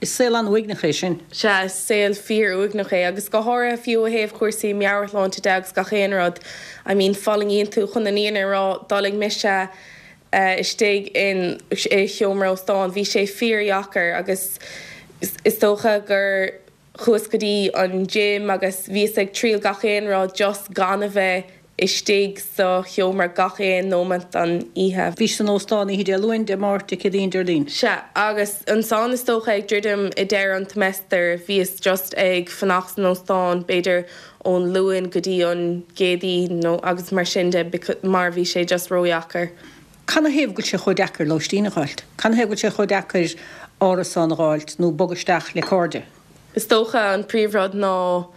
Speaker 1: is saol an-uaigneach é sin.
Speaker 4: Sea, is saol fíor-uaigneach é agus go háirithe fiú ó thaobh cúrsaí meabhairshláinte de agus gach aon rud. I mean fulaingíonn tú chun an fhírinne a rá d'fhulaing mise istigh in i seomra óstáin. Bhí sé fíordheacair agus is dócha gur chuas go dtí an gym agus bhíos ag triail gach aon rud just gan a bheith istigh sa sheomra gach aon nóiméad den oíche.
Speaker 1: Bhís san óstán oíche Dé Luain, Dé Máirt, Dé Céadaoin, Déardaoin.
Speaker 4: Sea, agus ansan is dócha ag druidim i deireadh an tseimeastair bhíos just ag fanacht san óstán b'fhéidir ón Luan go dtí an gCéadaoin nó agus mar sin de mar bhí sé just ródheacair.
Speaker 1: Canathaobh go bhfuil sé chomh deacair lóistín a fháilt? Canathaobh go bhfuil sé chomh deacair árasán a fháilt nó bogadh isteach le cairde?
Speaker 4: Is dócha an príomhrud ná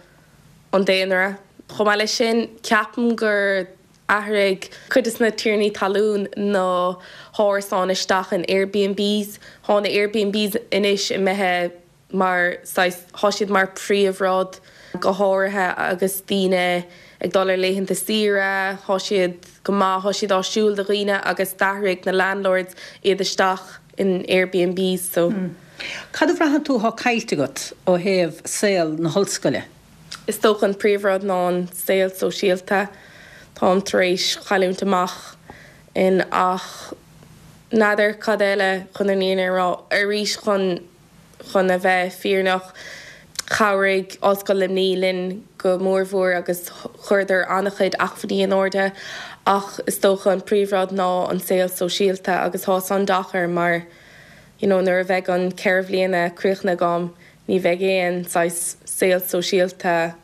Speaker 4: an daonra. Chomh maith leis sin, ceapaim gur athraigh cuid de na tiarnaí talún na hárasáin isteach in Airbnbs. Tá na Airbnbs anois imithe mar saghas, tá siad mar príomhrud go háirithe agus daoine ag dul ar laethanta saoire, tá siad go maith, tá siad áisiúil do dhaoine agus d'athraigh na landlords iad isteach in Airbnbs so.
Speaker 1: Cad a bhraitheann tú atá caillte agat ó thaobh saol na hollscoile?
Speaker 4: Is dócha an príomhrud ná an saol sóisialta. Táim tar éis cailliúint amach in ach n'fheadar cad eile chun an fhírinne a rá. Arís chun chun a bheith fírinneach, chabhraigh Ollscoil Luimnigh linn go mórmhór agus chuireadar an-chuid acmhainní in airde ach is dócha an príomhrud ná an saol sóisialta agus tá san deacair mar you know nuair a bheidh an ceithre bhliana críochnaithe agam ní bheidh aon saghas saol sóisialta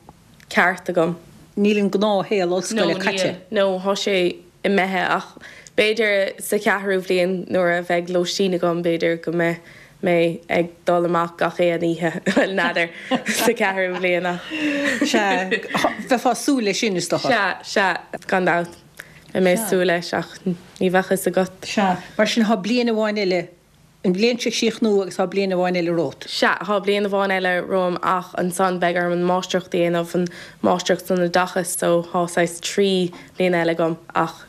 Speaker 4: ceart agam.
Speaker 1: Níl an gnáthshaol ollscoile caite?
Speaker 4: No, tá sé imithe ach b'fhéidir sa cheathrú bhliain nuair a bheidh lóistín agam b'fhéidir go mbeidh mé ag dul amach gach aon oíche, bhuel n'fheadar, sa cheathrú bhliain ach.
Speaker 1: Sea, bheifeá ag súil leis sin is dócha.
Speaker 4: Sea, sea, gan dabht, beidh mé ag súil leis ach ní bheadh a fhios agat.
Speaker 1: Sea, mar sin tá bliain amháin eile, an bhliain seo ag críochnú agus tá bliain amháin eile romhat.
Speaker 4: Sea, tá bliain amháin eile romham ach ansan beidh orm an máistreacht a dhéanamh, an máistreacht san oideachas so tá saghas trí bliana eile agam ach.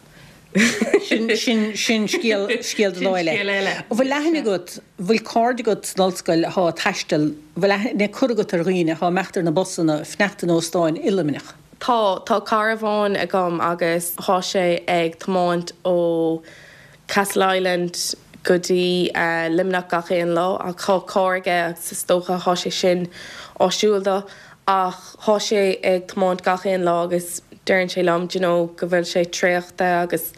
Speaker 1: Sin, sin, sin scéal, scéal do lá
Speaker 4: Sin
Speaker 1: eile.
Speaker 4: scéal eile.
Speaker 1: An bhfuil aithne agat, an bhfuil cairde agat san ollscoil atá ag taisteal, an bhfuil aithne curtha agat ar dhaoine atá ag imeacht ar na busanna, ag fanacht in óstáin i Luimneach?
Speaker 4: Tá, tá cara amháin agam agus tá sé ag tiomáint ó Castleisland go dtí Luimneach gach aon lá ach tá carr aige agus is dócha tá sé sin áisiúil dó ach tá sé ag tiomáint gach aon lá agus deireann sé liom do you know go bhfuil sé traochta agus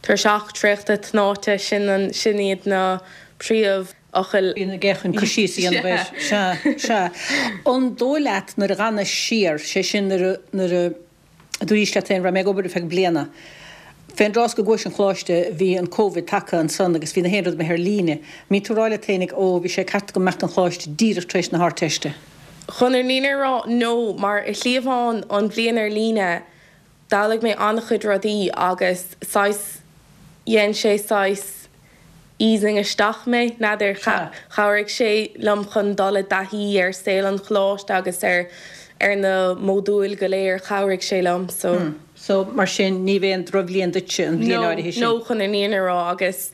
Speaker 4: tuirseach, traochta, tnáite, sin an, sin iad na príomhfhocail.
Speaker 1: Bíonn aige chun cur síos a dhéanamh air. Sea, sea. An dóigh leat nuair a dh'fhanais siar, sé sin nuair a, nuair a dúraís leat féin, raibh mé ag obair ar feadh bliana, fén dtráth 's go gcuais 'on choláiste bhí an Covid tagtha ansan agus bhí na haon rud imithe ar líne. Mbíonn tú ag rá leat féinig, ó bhí sé ceart agam imeacht 'on choláiste díreach tar éis na hArdteiste.
Speaker 4: Chun an fhírinne a rá, no, mar i slí amháin an bhliain ar líne, D'fhoghlaim mé an-chuid rudaí agus saghas, dhein sé saghas easing isteach mé, n'fheadar, chabhraigh sé liom chun dul i dtaithí ar saol an choláiste agus ar ar na módúil go léir, chabhraigh sé liom so.
Speaker 1: So mar sin ní b'aon drochbhliain duitse an bhliain áirithe sin?
Speaker 4: No, no chun an fhírinne a rá agus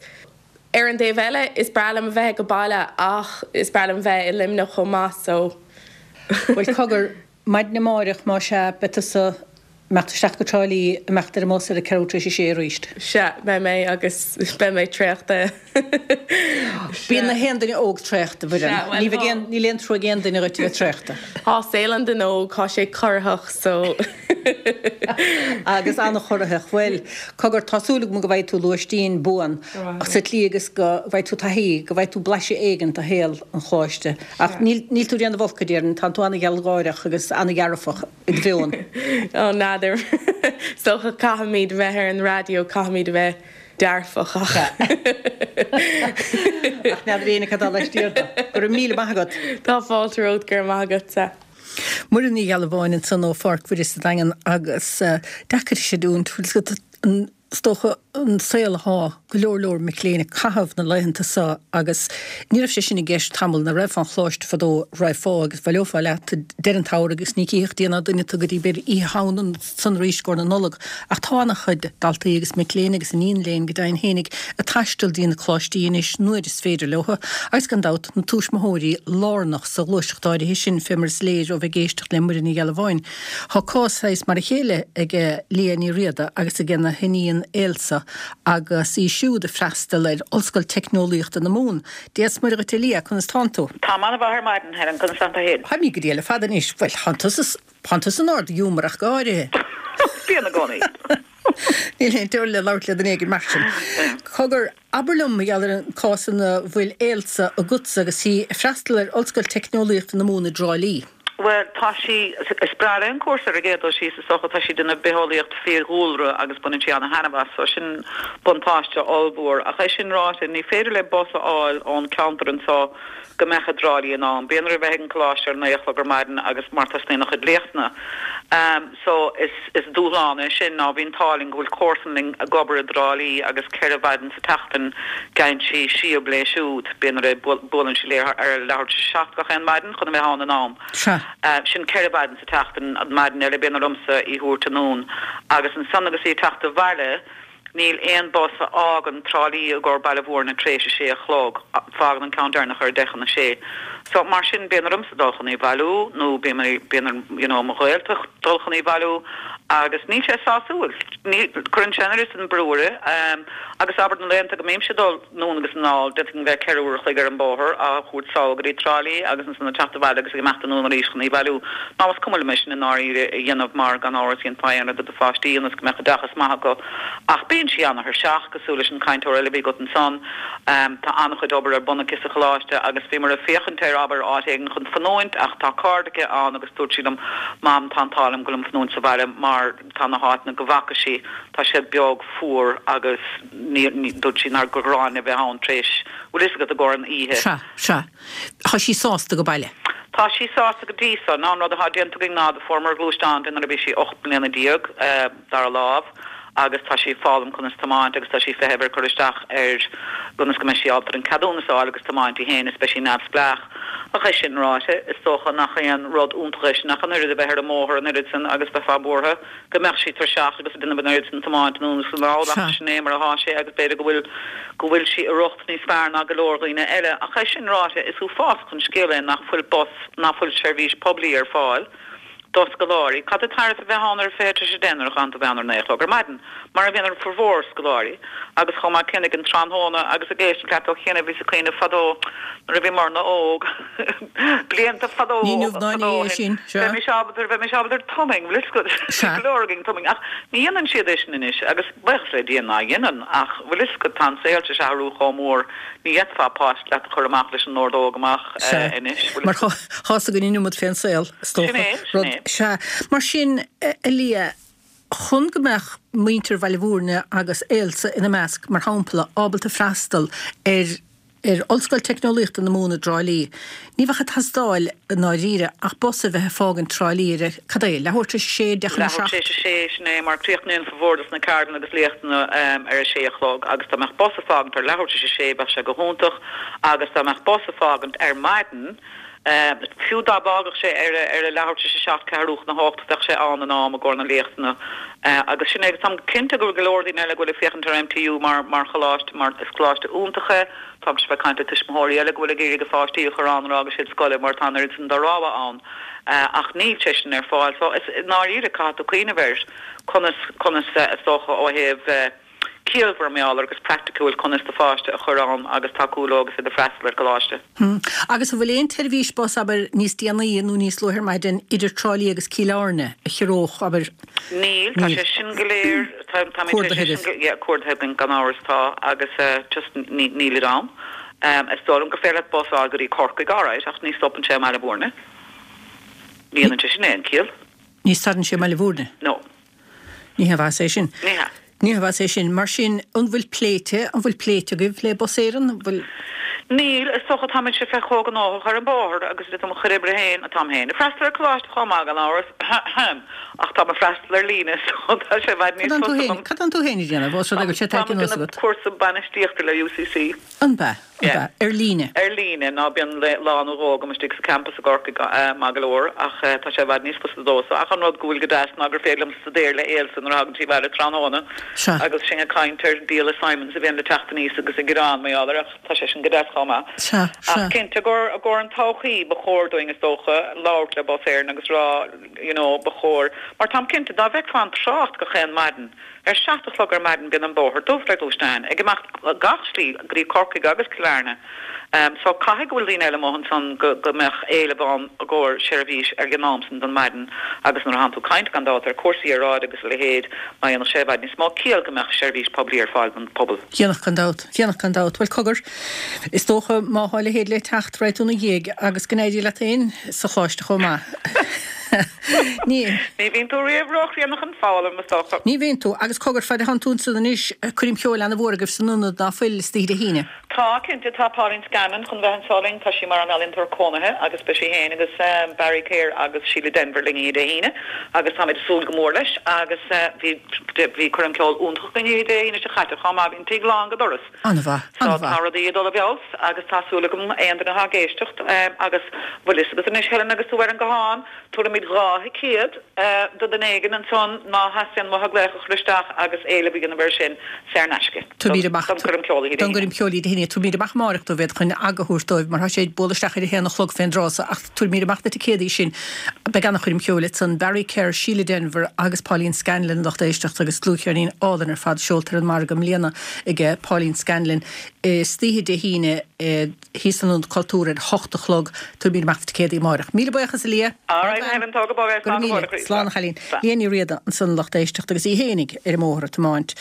Speaker 4: ar an dtaobh eile is breá liom a bheith ag baile ach is breá liom bheith i Luimneach chomh maith so.
Speaker 1: Bhuel cogar, maidin amáireach más ea beidh tusa Imeacht isteach go Trá Lí, imeacht ar an mbus ar a ceathrú tar éis a sé arís.
Speaker 4: Sea, beidh mé agus beidh mé traochta.
Speaker 1: Bíonn na haon duine óg traochta, a Mhuireann.
Speaker 4: Sea, bhuel,
Speaker 1: Ní bheidh aon, níl aon trua ag aon duine dhuit a bheith traochta.
Speaker 4: Tá saol an duine óg, tá sé corraitheach so.
Speaker 1: Agus an-chorraitheach. Bhuel, cogar, tá súil agam go bhfaighidh tú lóistín buan sa tslí agus go bhfaighidh tú taithí, go bhfaighidh tú blaiseadh éigin de shaol an choláiste. Ach níl, níl tú ag déanamh olc, a déarfainn, tánn tú an-ghealgháireach agus an-dhearfach. i do mheon.
Speaker 4: Ó, n'fheadar. Is dócha caithfimid bheith ar an raidió, caithfimid a bheith dearfach ach.
Speaker 1: Ach n'fheadar éinne cad tá laistiar de. Go raibh míle maith agat.
Speaker 4: Tá fáilte romhat, go raibh maith agatsa.
Speaker 1: Muireann Ní Ghealbháin ansan ó Pháirc Mhuire sa Daingean agus deacair a chreidiúint, bhfuil 's agat, an, is dócha, an saol athá go leor leor mic léinn ag caitheamh na laethanta seo agus ní raibh sé sin i gceist tamall nuair a raghfá chun choláiste fadó raghfá agus bhaileofá leat deireadh an tsamhraidh agus ní chífeadh Dia ná duine tú go dtí b'fhéidir Oíche Shamhna ansan arís i gcomhair na Nollag ach tá ana-chuid daltaí agus mic léinn agus iníon léinn go deimhin fhéinig ag taisteal dtí na coláistí anois nuair is féidir leo agus gan dabht na tuismitheoirí lárnach sa ghluaiseacht áirithe sin fé mar is léir ó bheith ag éisteacht le Muireann Ní Ghealbháin. Tá cás saghas mar a chéile ag Liadh Ní Riada agus ag a hiníon Ailsa agus í siúd ag freastal ar Ollscoil Teicneolaíochta na Mumhan. Dia is Muire dhuit a Liadh, conas tánn tú?
Speaker 5: Táim an-mhaith ar maidin, Helen, conas tánn tú féin?
Speaker 1: Táim go diail ar fad anois. Bhuel, tánn tusa, tánn tusa in ard-ghiúmar ach go háirithe.
Speaker 5: Bíonn i gcónaí.
Speaker 1: Níl aon teorainn le labhairt le duine éigin mar sin. Cogar, abair liom mar gheall ar an cás ina bhfuil Ailsa agatsa agus í ag freastal ar Ollscoil Teicneolaíochta na Mumhan i dTrá Lí.
Speaker 5: Bhuel, tá sí, is breá léi an cúrsa ar an gcéad dul síos, is dócha, tá sí ag déanamh bitheolaíocht fiadhúlra agus baineann sí ana-thaitneamh as, so sin buntáiste ollmhór. Ach é sin ráite, ní féidir léi bus a fháil ón ceantar anseo go mbeadh i dTrá Lí in am. Bíonn uirthi a bheith ag an coláiste ar a naoi a chlog ar maidin agus mar tosnaíonn a chuid léachtanna. So is is dúshlán é sin. Ná bhí an t-ádh linn go bhfuil comharsan linn ag obair i dTrá Lí agus ceithre mhaidin sa tseachtain geibheann sí síob léi siúd. Bíonn uirthi, buaileann sí léi ar leathuair tar éis a seacht gach aon maidin chun a bheith ann in am.
Speaker 1: Sea.
Speaker 5: Sin ceithre mhaidin sa tseachtain, an maidin eile bíonn ormsa í thabhairt anonn. Agus ansan agus í ag teacht abhaile, níl aon bus a fhágann Trá Lí i gcomhair Baile Mhúirne tar éis a sé a chlog, fágann an ceann deireanach ar deich chun a sé. So, mar sin, bíonn ormsa dul chun í bhailiú nó bíonn, bíonn ar, you know, mo ghaolta dul chun í bhailiú agus níl sé sásúil. Ní, cuireann sé an oiread san brú uirthi. Agus abair na laethanta go mbímse ag dul anonn agus anall, d'fhéadfainn bheith ceithre uair a chloig ar an bóthar á thabhairt sall go dtí Trá Lí agus ansan ag teacht abhaile agus ag imeacht anonn arís chun í bhailiú. Now is cuma liom é sin i ndáiríre a dhéanamh mar gan amhras dhéanfá aon rud do do pháistí ionas go mbeadh oideachas maith acu ach bíonn sí ana-thuirseach, cosúil leis an cainteoir eile a bhí agat ansan. Tá an-chuid obair ar bun aici sa choláiste agus bhíomar ag féachaint ar, abair, áit éigin chun fanúint ach tá cairde aici ann agus dúirt sí liom, Mam, tá an t-ádh liom go bhfuilim fanúint sa bhaile mar tá na háiteanna go bhfaca sí, tá siad beag, fuar agus ní, ní, dúirt sí nár gur ghráin a bheith ann tar éis, bhfuil fhios agat, i gcomhair an oíche.
Speaker 1: Sea, sea. Tá sí sásta go baile.
Speaker 5: Tá sí sásta go dtí so. Now an rud atá déanta againn ná do fuaireamar gluaisteán di nuair a bhí sí ocht mbliana déag, dara lámh, agus tá sí ag foghlaim conas tiomáint agus tá sí ag feitheamh ar cur isteach ar conas go mbeidh sí ábalta an ceadúnas a fháil agus tiomáint í féin is beidh sí neamhspleách. Ach é sin ráite, is dócha nach aon rud iontach é sin ach an oiread a bheith ar an mbóthar an oiread sin agus bheifeá buartha go mbeadh sí tuirseach agus ag déanamh an oiread sin tiomáint anonn is anall ach sin é mar atá sé agus b'fhéidir go bhfuil go bhfuil sí i riocht níos fearr ná go leor dhaoine eile. Ach é sin ráite, is uafásach an scéal é nach bhfuil bus, nach bhfuil seirbhís poiblí ar fáil. do scoláirí. Cad é tairbhe bheith ann ar a fiche tar éis a deich nuair a chaitheann tú bheith ann ar naoi a chlog ar maidin, mar a bhíonn ar formhór scoláirí, agus chomh maith céanna ag an tráthnóna agus ag éisteacht leat ó chianaibh bhíos ag cuimhneamh fadó nuair a bhíomarna óg, blianta fadó
Speaker 1: Ní inniu ná
Speaker 5: fadó
Speaker 1: inné
Speaker 5: ó
Speaker 1: é
Speaker 5: shin,
Speaker 1: sin, sea.
Speaker 5: bheimis ábalta, bheimis ábalta ar tumming, bhfuil fhios agat,
Speaker 1: Sea.
Speaker 5: go leor againn tumming, ach ní dhéanann siad é sin anois agus buíochas le Dia ná dhéanann, ach bhfuil fhios agat, tá an saol tar éis athrú chomh mór, ní fhéadfá páiste leat a chur amach leis an ordóg amach
Speaker 1: Sea.
Speaker 5: anois, bhfuil
Speaker 1: Mar
Speaker 5: fhios agat.
Speaker 1: tá's againn an iomad fén saol. is
Speaker 5: Sin
Speaker 1: dócha.
Speaker 5: é, sin
Speaker 1: Rud,
Speaker 5: é.
Speaker 1: sea. Mar sin, a Liadh, chun go mbeadh muintir Bhaile Mhúirne agus Ailsa ina measc, mar shampla, ábalta freastal ar ar Ollscoil Teicneolaíochta na Mumhan i dTrá Lí, ní bheadh ag teastáil, i ndáiríre, ach bus a bheith ag fágaint Trá Lí ar a, cad é, leathuair tar éis a sé, deich chun a
Speaker 5: Leathuair tar
Speaker 1: seacht?
Speaker 5: éis a sé, sin é, mar críochnaíonn formhór dos na ceardlanna agus léachtanna ar a sé a chlog agus dá mbeadh bus ag fágaint ar leathuair tar éis a sé bheadh sé go hiontach agus dá mbeadh bus ag fágaint ar maidin, Fiú dá bhfágadh sé ar a leathuair tar éis a seacht, ceathrú chun a hocht, bheadh sé ann in am i gcomhair na léachtanna. Agus sin é. Agus táim cinnte go bhfuil go leor daoine eile go bhfuil ag féachaint ar MTU mar mar choláiste, mar is coláiste iontach é. Táimse ag caint le tuismitheoirí eile go bhfuil ag iarraidh a pháistí a chur ann nuair a fhágas siad scoile mar tá an oiread sin de rogha ann. Ach níl sé sin ar fáil. So is i ndáiríre caithfidh tú cuimhneamh air conas, conas is dócha ó thaobh, ciallmhar mar gheall air agus praiticiúil conas do pháiste a chur ann agus tacú leo agus iad ag freastal ar coláiste.
Speaker 1: Agus an bhfuil aon tseirbhís bus, abair, níos déanaí nó níos luaithe ar maidin idir Trá Lí agus Cill Airne a chiorródh, abair,
Speaker 5: Níl, tá sé sin go léir, tá, táimid tar éis é sin go, yeah, cuardaithe againn gan amhras, tá, agus just ní, nílid ann. Is dóigh liom gur féidir leat bus a fháil go dtí Corcaigh, alright, ach ní stopann sé i mBaile Mhúirne. Ní dhéanann sé sin aon chiall.
Speaker 1: Ní stadann sé i mBaile Mhúirne?
Speaker 5: No.
Speaker 1: Ní haon mhaitheas é sin.
Speaker 5: Ní hea.
Speaker 1: Ní haon mhaitheas é sin. Mar sin, an bhfuil pléite, an bhfuil pléite agaibh le Bus Éireann? An bhfuil.
Speaker 5: Níl, is dócha táimidse féin chomh gnóthach ar an bóthar agus le do mo chuid oibre féin, táim féin ag freastal ar coláiste chomh maith gan amhras, ahem, ach táim ag freastal ar líne so tá sé i bhfad níos
Speaker 1: Cad
Speaker 5: fusa dom.
Speaker 1: Cad tánn tú féin ag déanamh? Ós rud é go bhfuil sé
Speaker 5: Táim
Speaker 1: tagtha
Speaker 5: ag
Speaker 1: anuas
Speaker 5: déanamh
Speaker 1: agat?
Speaker 5: cúrsa bainistíochta le UCC.
Speaker 1: An b'ea? An
Speaker 5: Yeah.
Speaker 1: b'ea? Ar líne?
Speaker 5: Ar líne, ná bíonn lá nó dhó agam istigh sa campas i gCorcaigh maith go leor ach tá sé i bhfad níos fusa domhsa. Ach an rud go bhfuil go deas ná gur féidir liom staidéar le Ailsa nuair a thagann sí abhaile tráthnóna
Speaker 1: Sea.
Speaker 5: agus sinn ag caint ar díol assignments a bhíonn le teacht aníos agus ag gearán mar gheall air ach tá sé sin go deas chomh maith.
Speaker 1: Sea,
Speaker 5: Ach
Speaker 1: sea.
Speaker 5: cinnte i gcomhair i gcomhair an todhchaí ba chóir dúinn is dócha labhairt le Bus Éireann agus rá you know ba chóir mar táim cinnte dá bhfeicfeá an trácht gach aon maidin ar seacht a chlog ar maidin bíonn an bóthar dubh le gluaisteáin ag imeacht gach slí go dtí Corcaigh agus Cill Airne. Um, so caithfidh go bhfuil daoine eile amuigh ansan go, go mbeadh éileamh ann i gcomhair seirbhís ar an am san den maidin agus nuair atánn tú ag caint gan dabht ar cúrsaí aeráide agus a leithéid má dhéanfadh sé i bhfad níos mó ciall go mbeadh seirbhís poiblí ar fáil don pobal.
Speaker 1: Dhéanfadh gan dabht, dhéanfadh gan dabht. Bhuel cogar, is dócha má thá a leithéid le teacht raghaidh tú ina dhiaidh agus go n-éirí leat féin sa choláiste chomh maith. Ní.
Speaker 5: Ní bhíonn tú riamh róchríonna chun foghlaim, is dócha.
Speaker 1: Ní bhíonn tú, agus cogar fad a thánn tú ansan anois, coirm cheoil ana-mhór agaibh san ionad ná fuil istoíche Dé hAoine.
Speaker 5: Tá, cinnte, tá Pauline Scanlon chun bheith anso linn, tá sí mar an ealaíontóir cónaithe agus beidh sí féin agus Barry Kerr agus Síle Denvir linn oíche Dé hAoine agus táimid ag súil go mór leis agus bhí bhí coirm ceoil iontach againn oíche Dé hAoine seo chaite chomh maith, bhí an tigh lán go doras.
Speaker 1: An-mhaith,
Speaker 5: So
Speaker 1: an-mhaith.
Speaker 5: tá rudaí ag dul i bhfeabhas agus tá súil agam aon duine atá ag éisteacht agus bhfuil fhios agat anois Helen agus tú ar an guthán, tabharfaimid dhá thicéad do dhuine éigin ansan má theastaíonn uathu glaoch a chur isteach agus éileamh a dhéanamh air sin saor in aisce
Speaker 1: Tabharfaimid amach
Speaker 5: don choirm ceoil oíche Dé
Speaker 1: don
Speaker 5: hAoine.
Speaker 1: gcoirm ceoil Dé hAoine, tabharfaimid amach amárach dóibh iad chun aga a thabhairt dóibh mar tá sé ag bualadh isteach ar a haon a chlog fén dtráth so ach tabharfaimid amach na ticéadaí sin. Beidh ana-choirm cheoil ansan Barry Kerr, Síle Denvir agus Pauline Scanlon lucht éisteachta agus dlúthcheirnín álainn ar fad seolta ar an margadh i mbliana aige Pauline Scanlon. Istoíche Dé hAoine thíos san Ionad Cultúir ar hocht a chlog, tabharfaimid amach na ticéadaí amárach. Míle buíochas a Lia.
Speaker 5: All right, Helen, tóg go bog é,
Speaker 1: Go raibh
Speaker 5: slán go
Speaker 1: míle.
Speaker 5: fóill, a chroí.
Speaker 1: Slán a chailín. Liadh Ní Riada ansan lucht éisteachta agus í fhéinig ar an mbóthar ag tiomáint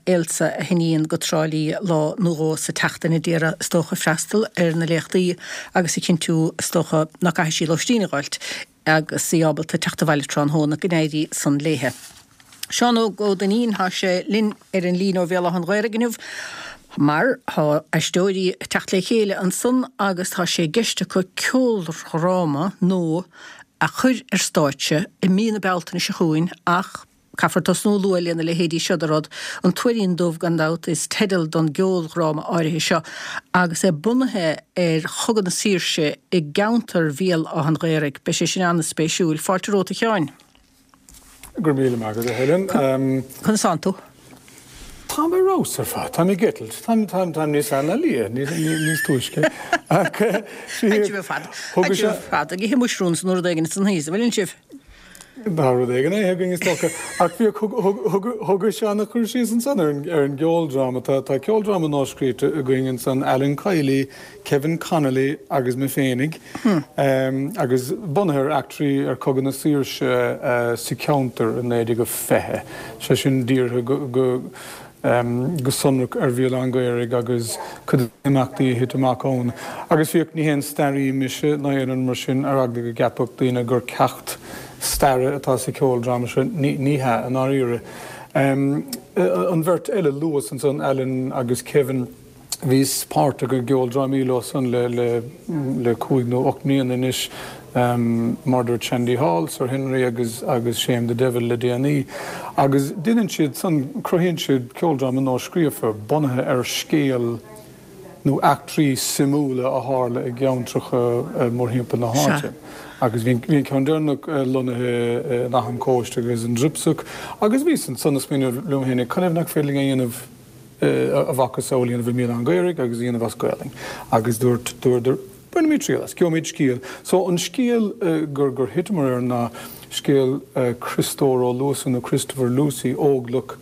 Speaker 1: Ailsa a hiníon go Trá Lí lá nó dhó sa tseachtain a d'iarraidh is dócha freastal ar na léachtaí agus a chinntiú is dócha nach gcaithfidh sí lóistín a fháilt agus í ábalta teacht abhaile tráthnóna go n-éirí san léithe. Seán Óg Ó Duinnín thá sé linn ar an líne ó Bhéal Átha an Ghaorthaidh inniu mar thá aisteoirí ag teacht le chéile ansan agus tá sé i gceist acu ceoldráma nua a chur ar stáitse i mí na Bealtaine seo chugainn ach caithfear tosnú luath lena leithéidí seo de rud, An Tuairín Dubh gan dabht is teideal don gceoldráma áirithe seo agus é bunaithe ar Chogadh na Saoirse i gceantar Bhéal Átha an Ghaorthaidh. Beidh sé sin an-spéisiúil. Fáilte romhat a Sheáin.
Speaker 6: Go raibh míle maith agat, a Helen.
Speaker 1: Conas tánn tú?
Speaker 6: Tá mé rós ar fad, Tá mé gitlt, Tá tá níos fearr ná Lia, níos túisce.
Speaker 1: Fad fad ag ithe mushrooms nó rud éigin san thaos, bhfuil sibh?
Speaker 6: Tá rud éigin é againn is dócha. Ach bhí thug sé an chur síos ansan ar an gceoldráma. Tá ceoldráma nua scríte againn ansan Alan Kiely, Kevin Connolly agus mé féinig agus bunaithe ar eachtraí ar Chogadh na Saoirse sa cheantar i naoi déag a fiche. Sé sin dírithe go go sonrach ar Bhéal Átha an Ghaorthaidh agus cuid imeachtaí a thit amach ann. Agus bhíodh ní haon staraí mise ná aon mar sin ar eagla go gceapfadh daoine gur ceacht staire atá sa cheoldráma seo ní hea i ndáiríre. An bheirt eile luas ansan Alan agus Kevin bhíos páirteach i gceoldrámaí leo san le le le cúig nó ocht mbliana anois Murder at Shandy Hall, Sir Henry agus agus Shame the Devil le déanaí. Agus déanann siad san cruthaíonn siad ceoldráma nua scríofa bunaithe ar scéal nó eachtraí suimiúla a tharla i gceantracha mórthimpeall na háite. Agus bhí an ceann deireanach lonnaithe in Achadh an Chóiste agus an Dripsach, agus bhíos ansan ag smaoineamh liom féin conas nach féidir linn a dhéanamh a mhacasamhail a dhéanamh i mBéal Átha an Ghaorthaidh agus a dhéanamh as Gaelainn. Agus dúirt dúradar bainimid triail as, gheobhaimid scéal. So an scéal gur gur thiteamar air ná scéal Criostóir Ó Luasa nó Christopher Lucey, óglach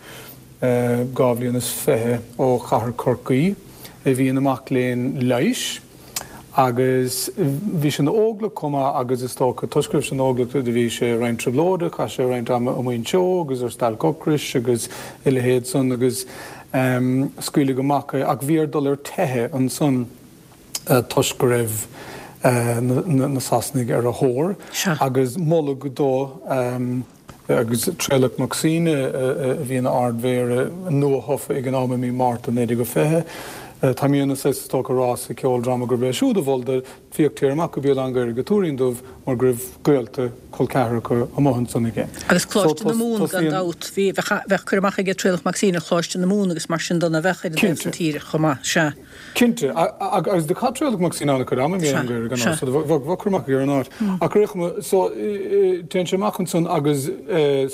Speaker 6: dhá bhliain is fiche ó chathair Chorcaí a bhí ina mac léinn leighis agus bhí sé ina óglach chomh maith agus is dócha toisc go raibh sé ina óglach do bhí sé roinnt trioblóide, chaith sé roinnt ama i Muinseo agus ar stailc ocrais agus a leithéid san agus scaoileadh amach é ach bhí air dul ar teitheadh ansan toisc go raibh na Sasanaigh ar a thóir agus moladh dó agus Traolach Mac Suibhne a bhí ina Ard-Mhéara nua-thofa ag an am i mí Márta naoi déag a fiche, Tá mé saghas is dócha a rá sa cheoldráma gurb é siúd a mhol dó féach téir amach go Béal Átha an Ghaorthaidh go Tuairín Dubh mar go raibh gaolta col ceathracha amuigh ansan aige.
Speaker 1: Agus Coláiste na Mumhan gan dabht. Bhí, bheadh cur amach aige Traolach Mac Suibhne ar Choláiste na Mumhan agus mar sin de, a bheadh ar an dtaobh san tíre chomh maith. Sea.
Speaker 6: Cinnte. Agus do chaith Traolach Mac Suibhne an-chuid ama i mBéal Átha an Ghaorthaidh gan amhras, so bheadh cur amach aige ar an áit. Ach ar aon chuma, so téann sé amach ansan agus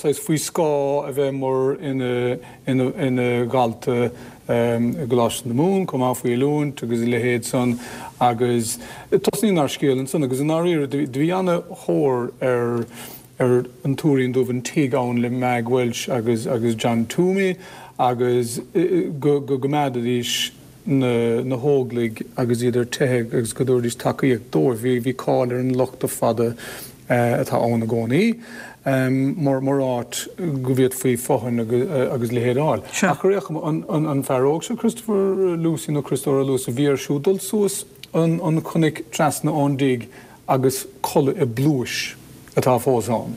Speaker 6: saghas faoi scáth a bheith mar ina, ina, ina dhalta i gColáiste na Mumhan chomh maith faoi oiliúint agus a leithéid san agus tosnaíonn ár scéal ansan agus i ndáiríre do bhí ana-thóir ar ar an Tuairín Dubh an tigh ann le Mag Welch agus agus John Toomey agus go go gcoimeádfaidís na na hÓglaigh agus iad ar teitheadh agus go dtabharfaidís tacaíocht dóibh. Bhí bhí cáil ar an Lochta Fada atá ann i gcónaí mar mar áit go bhféadfaí fothain agus leithéid a fháil. Ach ar aon chuma, an fear óg seo, Christopher Lucey nó Criostóir Ó Luasa, bhí air siúd dul suas an an chnoic trasna ón dtigh agus codladh i bpluais atá fós ann.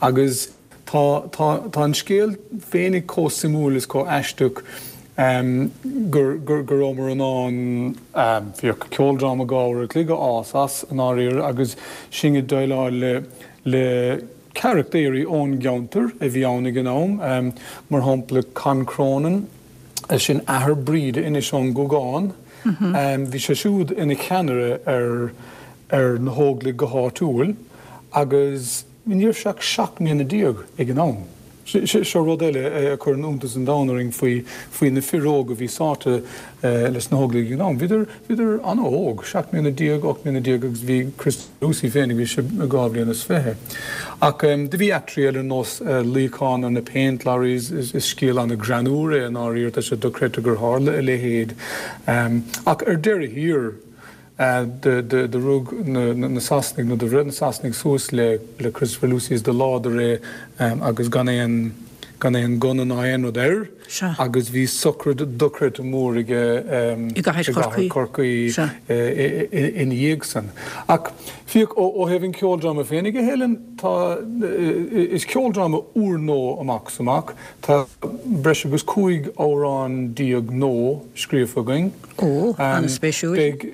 Speaker 6: Agus tá tá tá an scéal féinig chomh suimiúil is chomh aisteach gur gur go rabhamar in ann féach ceoldráma dhá uair a chloig a fhás as i ndáiríre agus sinn ag déileáil le le carachtaeirí ón gceantar a bhí ann ag an am, mar shampla Con Cronin, sin athair Bríde anois ón nGuagán, bhí sé siúd ina cheannaire ar ar na hÓglaigh go háitiúil agus ní raibh sé ach seacht mbliana déag ag an am. Seo rud eile a chuireann iontas an domhain orainn faoi faoi na fir óga a bhí sáite leis na hÓglaigh ag an am. Bhíodar bhíodar an-óg, seacht mbliana déag, ocht mbliana déag agus bhí Chris Lucey féinig, bhí sé dhá bhliain is fiche. Ach do bhí eachtraí eile ar nós luíochán ar na paint lorries, is scéal an-ghreannúr é i ndáiríre, tá sé dochreidte gur tharla a leithéid. Ach ar deireadh thiar, Do rug na Sasanaigh, nó do bhreith na Sasanaigh suas le Christopher Lucey is do leádar é agus gan aon, gan aon gunna ná aon rud air agus bhí sochraid dochreidte mór aige i gcathair Chorcaí ina dhiaidh san. Ach féach, ó thaobh an cheoldráma féinig, a Helen, tá, is ceoldráma úrnua amach is amach. Tá breis agus cúig amhrán déag nua scríofa againn.
Speaker 1: Ó, an-spéisiúil.
Speaker 6: Beidh,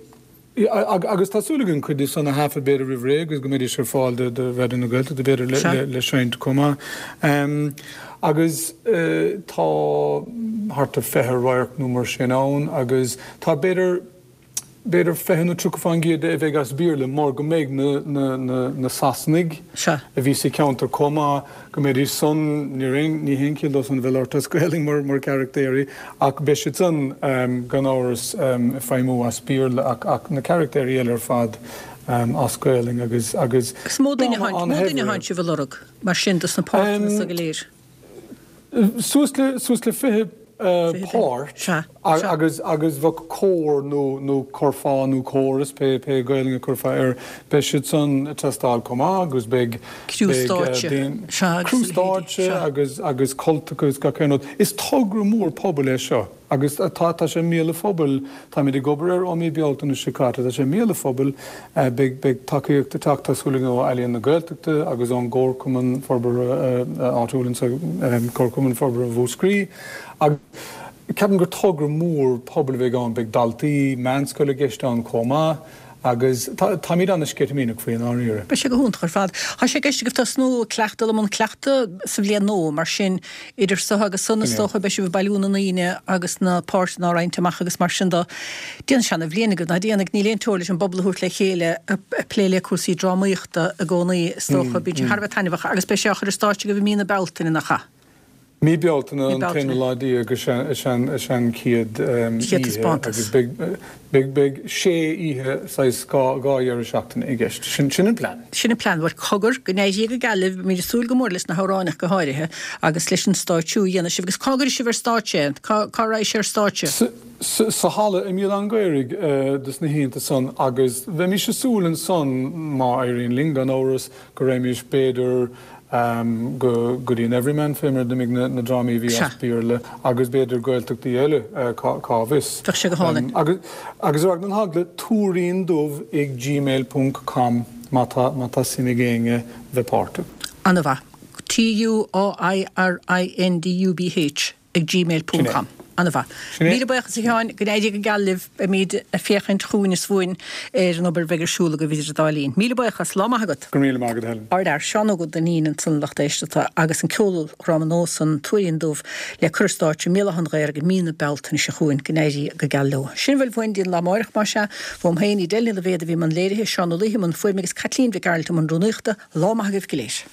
Speaker 6: agus tá súil againn cuid díobh san a thaifead b'fhéidir roimh ré agus go mbeidís ar fáil do Raidió na Gaeltachta b'fhéidir le seinnt chomh maith. Agus tá thart ar fiche radharc nó mar sin ann agus tá b'fhéidir, b'fhéidir fiche nó tríocha fán gcéad de a bheidh as Béarla mar go mbeidh na Sasanaigh a bhí sa cheantar chomh maith, go mbeidís san, ní haon chiall dó san a bheith labhairt as Gaelainn mar mar charachtéirí ach beidh siad san gan amhras ag feidhmiú as Béarla ach ach na carachtéirí eile ar fad as Gaelainn agus agus
Speaker 1: Is mó duine mó duine a thánn sibh a lorg mar sin dos na páirteanna so go léir.
Speaker 6: Suas le suas le fiche páirt agus agus bheadh cór nó nó curfá nó córas pé pé Gaelainn a chuirfeá air beidh siad san ag teastáil chomh maith agus beidh
Speaker 1: Criú stáitse
Speaker 6: criú stáitse agus agus cultacha agus gach aon rud. Is togra mór pobail é seo. Agus tá, tá sé i mbéal an phobail, táimid ag obair air ó mí Bealtaine seo caite, tá sé i mbéal an phobail, beidh, beidh tacaíocht ag teacht, tá súil againn, ó Ealaíon na Gaeltachta agus ón gComharchumann Forbartha áitiúil anseo, Comharchumann Forbartha Mhúscraí. Agus ceapaim gur togra mór pobail a bheidh ann, beidh daltaí meánscoile i gceist ann chomh maith. Agus táimid an-sceitimíneach faoi i ndáiríre.
Speaker 1: Beidh sé go hiontach ar fad. Tá sé i gceist agaibh tosnú ag cleachtadh, dul i mbun cleachtaidh sa bhliain nua, mar sin, idir so agus san, is dócha, beidh sibh ag bailiú na ndaoine agus na páirteanna á roinnt amach agus mar sin de. Déanfaidh sé ana-bhliain agaibh, ná déanfaidh? Níl aon teora leis an bpobal a thabhairt le chéile ag plé le cúrsaí drámaíochta i gcónaí, is dócha. Bíonn sé thar a bheith taitneamhach agus beidh sé á chur ar stáitse agaibh i mí na Bealtaine, nach ea?
Speaker 6: Mí Bealtaine, an t-aonú lá déag is ea an chéad oíche agus beidh sé oíche, saghas dhá dheireadh seachtaine i gceist. Sin an plean.
Speaker 1: Sin an plean. Bhuel, cogar, go n-éirí go geal libh, beimid ag súil go mór leis na hamhráin ach go háirithe agus leis an stáitsiú a dhéanfaidh sibh. Agus cá gcuirfidh sibh ar stáitse é? Cá raghaidh sé ar stáitse?
Speaker 6: Sa halla i mBéal Átha an Ghaorthaidh dos na hoícheanta san agus bheimis ag súil ansan, má éiríonn linn gan amhras, go raghaimís b'fhéidir go dtí an Everyman fé mar a d'imigh na drámaí a bhí as Béarla agus b'fhéidir Gaeltachtaí eile, cá bhfios.
Speaker 1: Bheadh sé go hálainn.
Speaker 6: Agus ar na heagla, tuairín dubh ag gmail ponc com má tá má tá suim ag éinne bheith páirteach.
Speaker 1: Ana-mhaith. T U Á I R I N D U B H ag gmail ponc com. An-mhaith. Míle buíochas a Sheáin, go n-éirí go geal libh, beimid ag féachaint chugainn is uainn ar an obair a bheidh ar siúl agaibh idir an dá linn. Míle buíochas, lá maith agat.
Speaker 6: Go raibh míle maith agat Helen.
Speaker 1: Ár bhfear, Seán Óg Ó Duinnín ansan a lucht éisteachta agus an ceoldráma nua san Tuairín Dubh le cur ar stáitse i mBéal Átha an Ghaorthaidh i mí na Bealtaine seo chugainn, go n-éirí go geal leo. Sin a bhfuil uainn go dtí an lá amáireach más ea. Uaim féin, Edel Ní Loibhéad a bhí i mbun léirithe, Seán Ó Laoithe i mbun fuaime agus Caitlín Mhic Gearailt i mbun rúnaíochta. Lá maith agaibh go léir.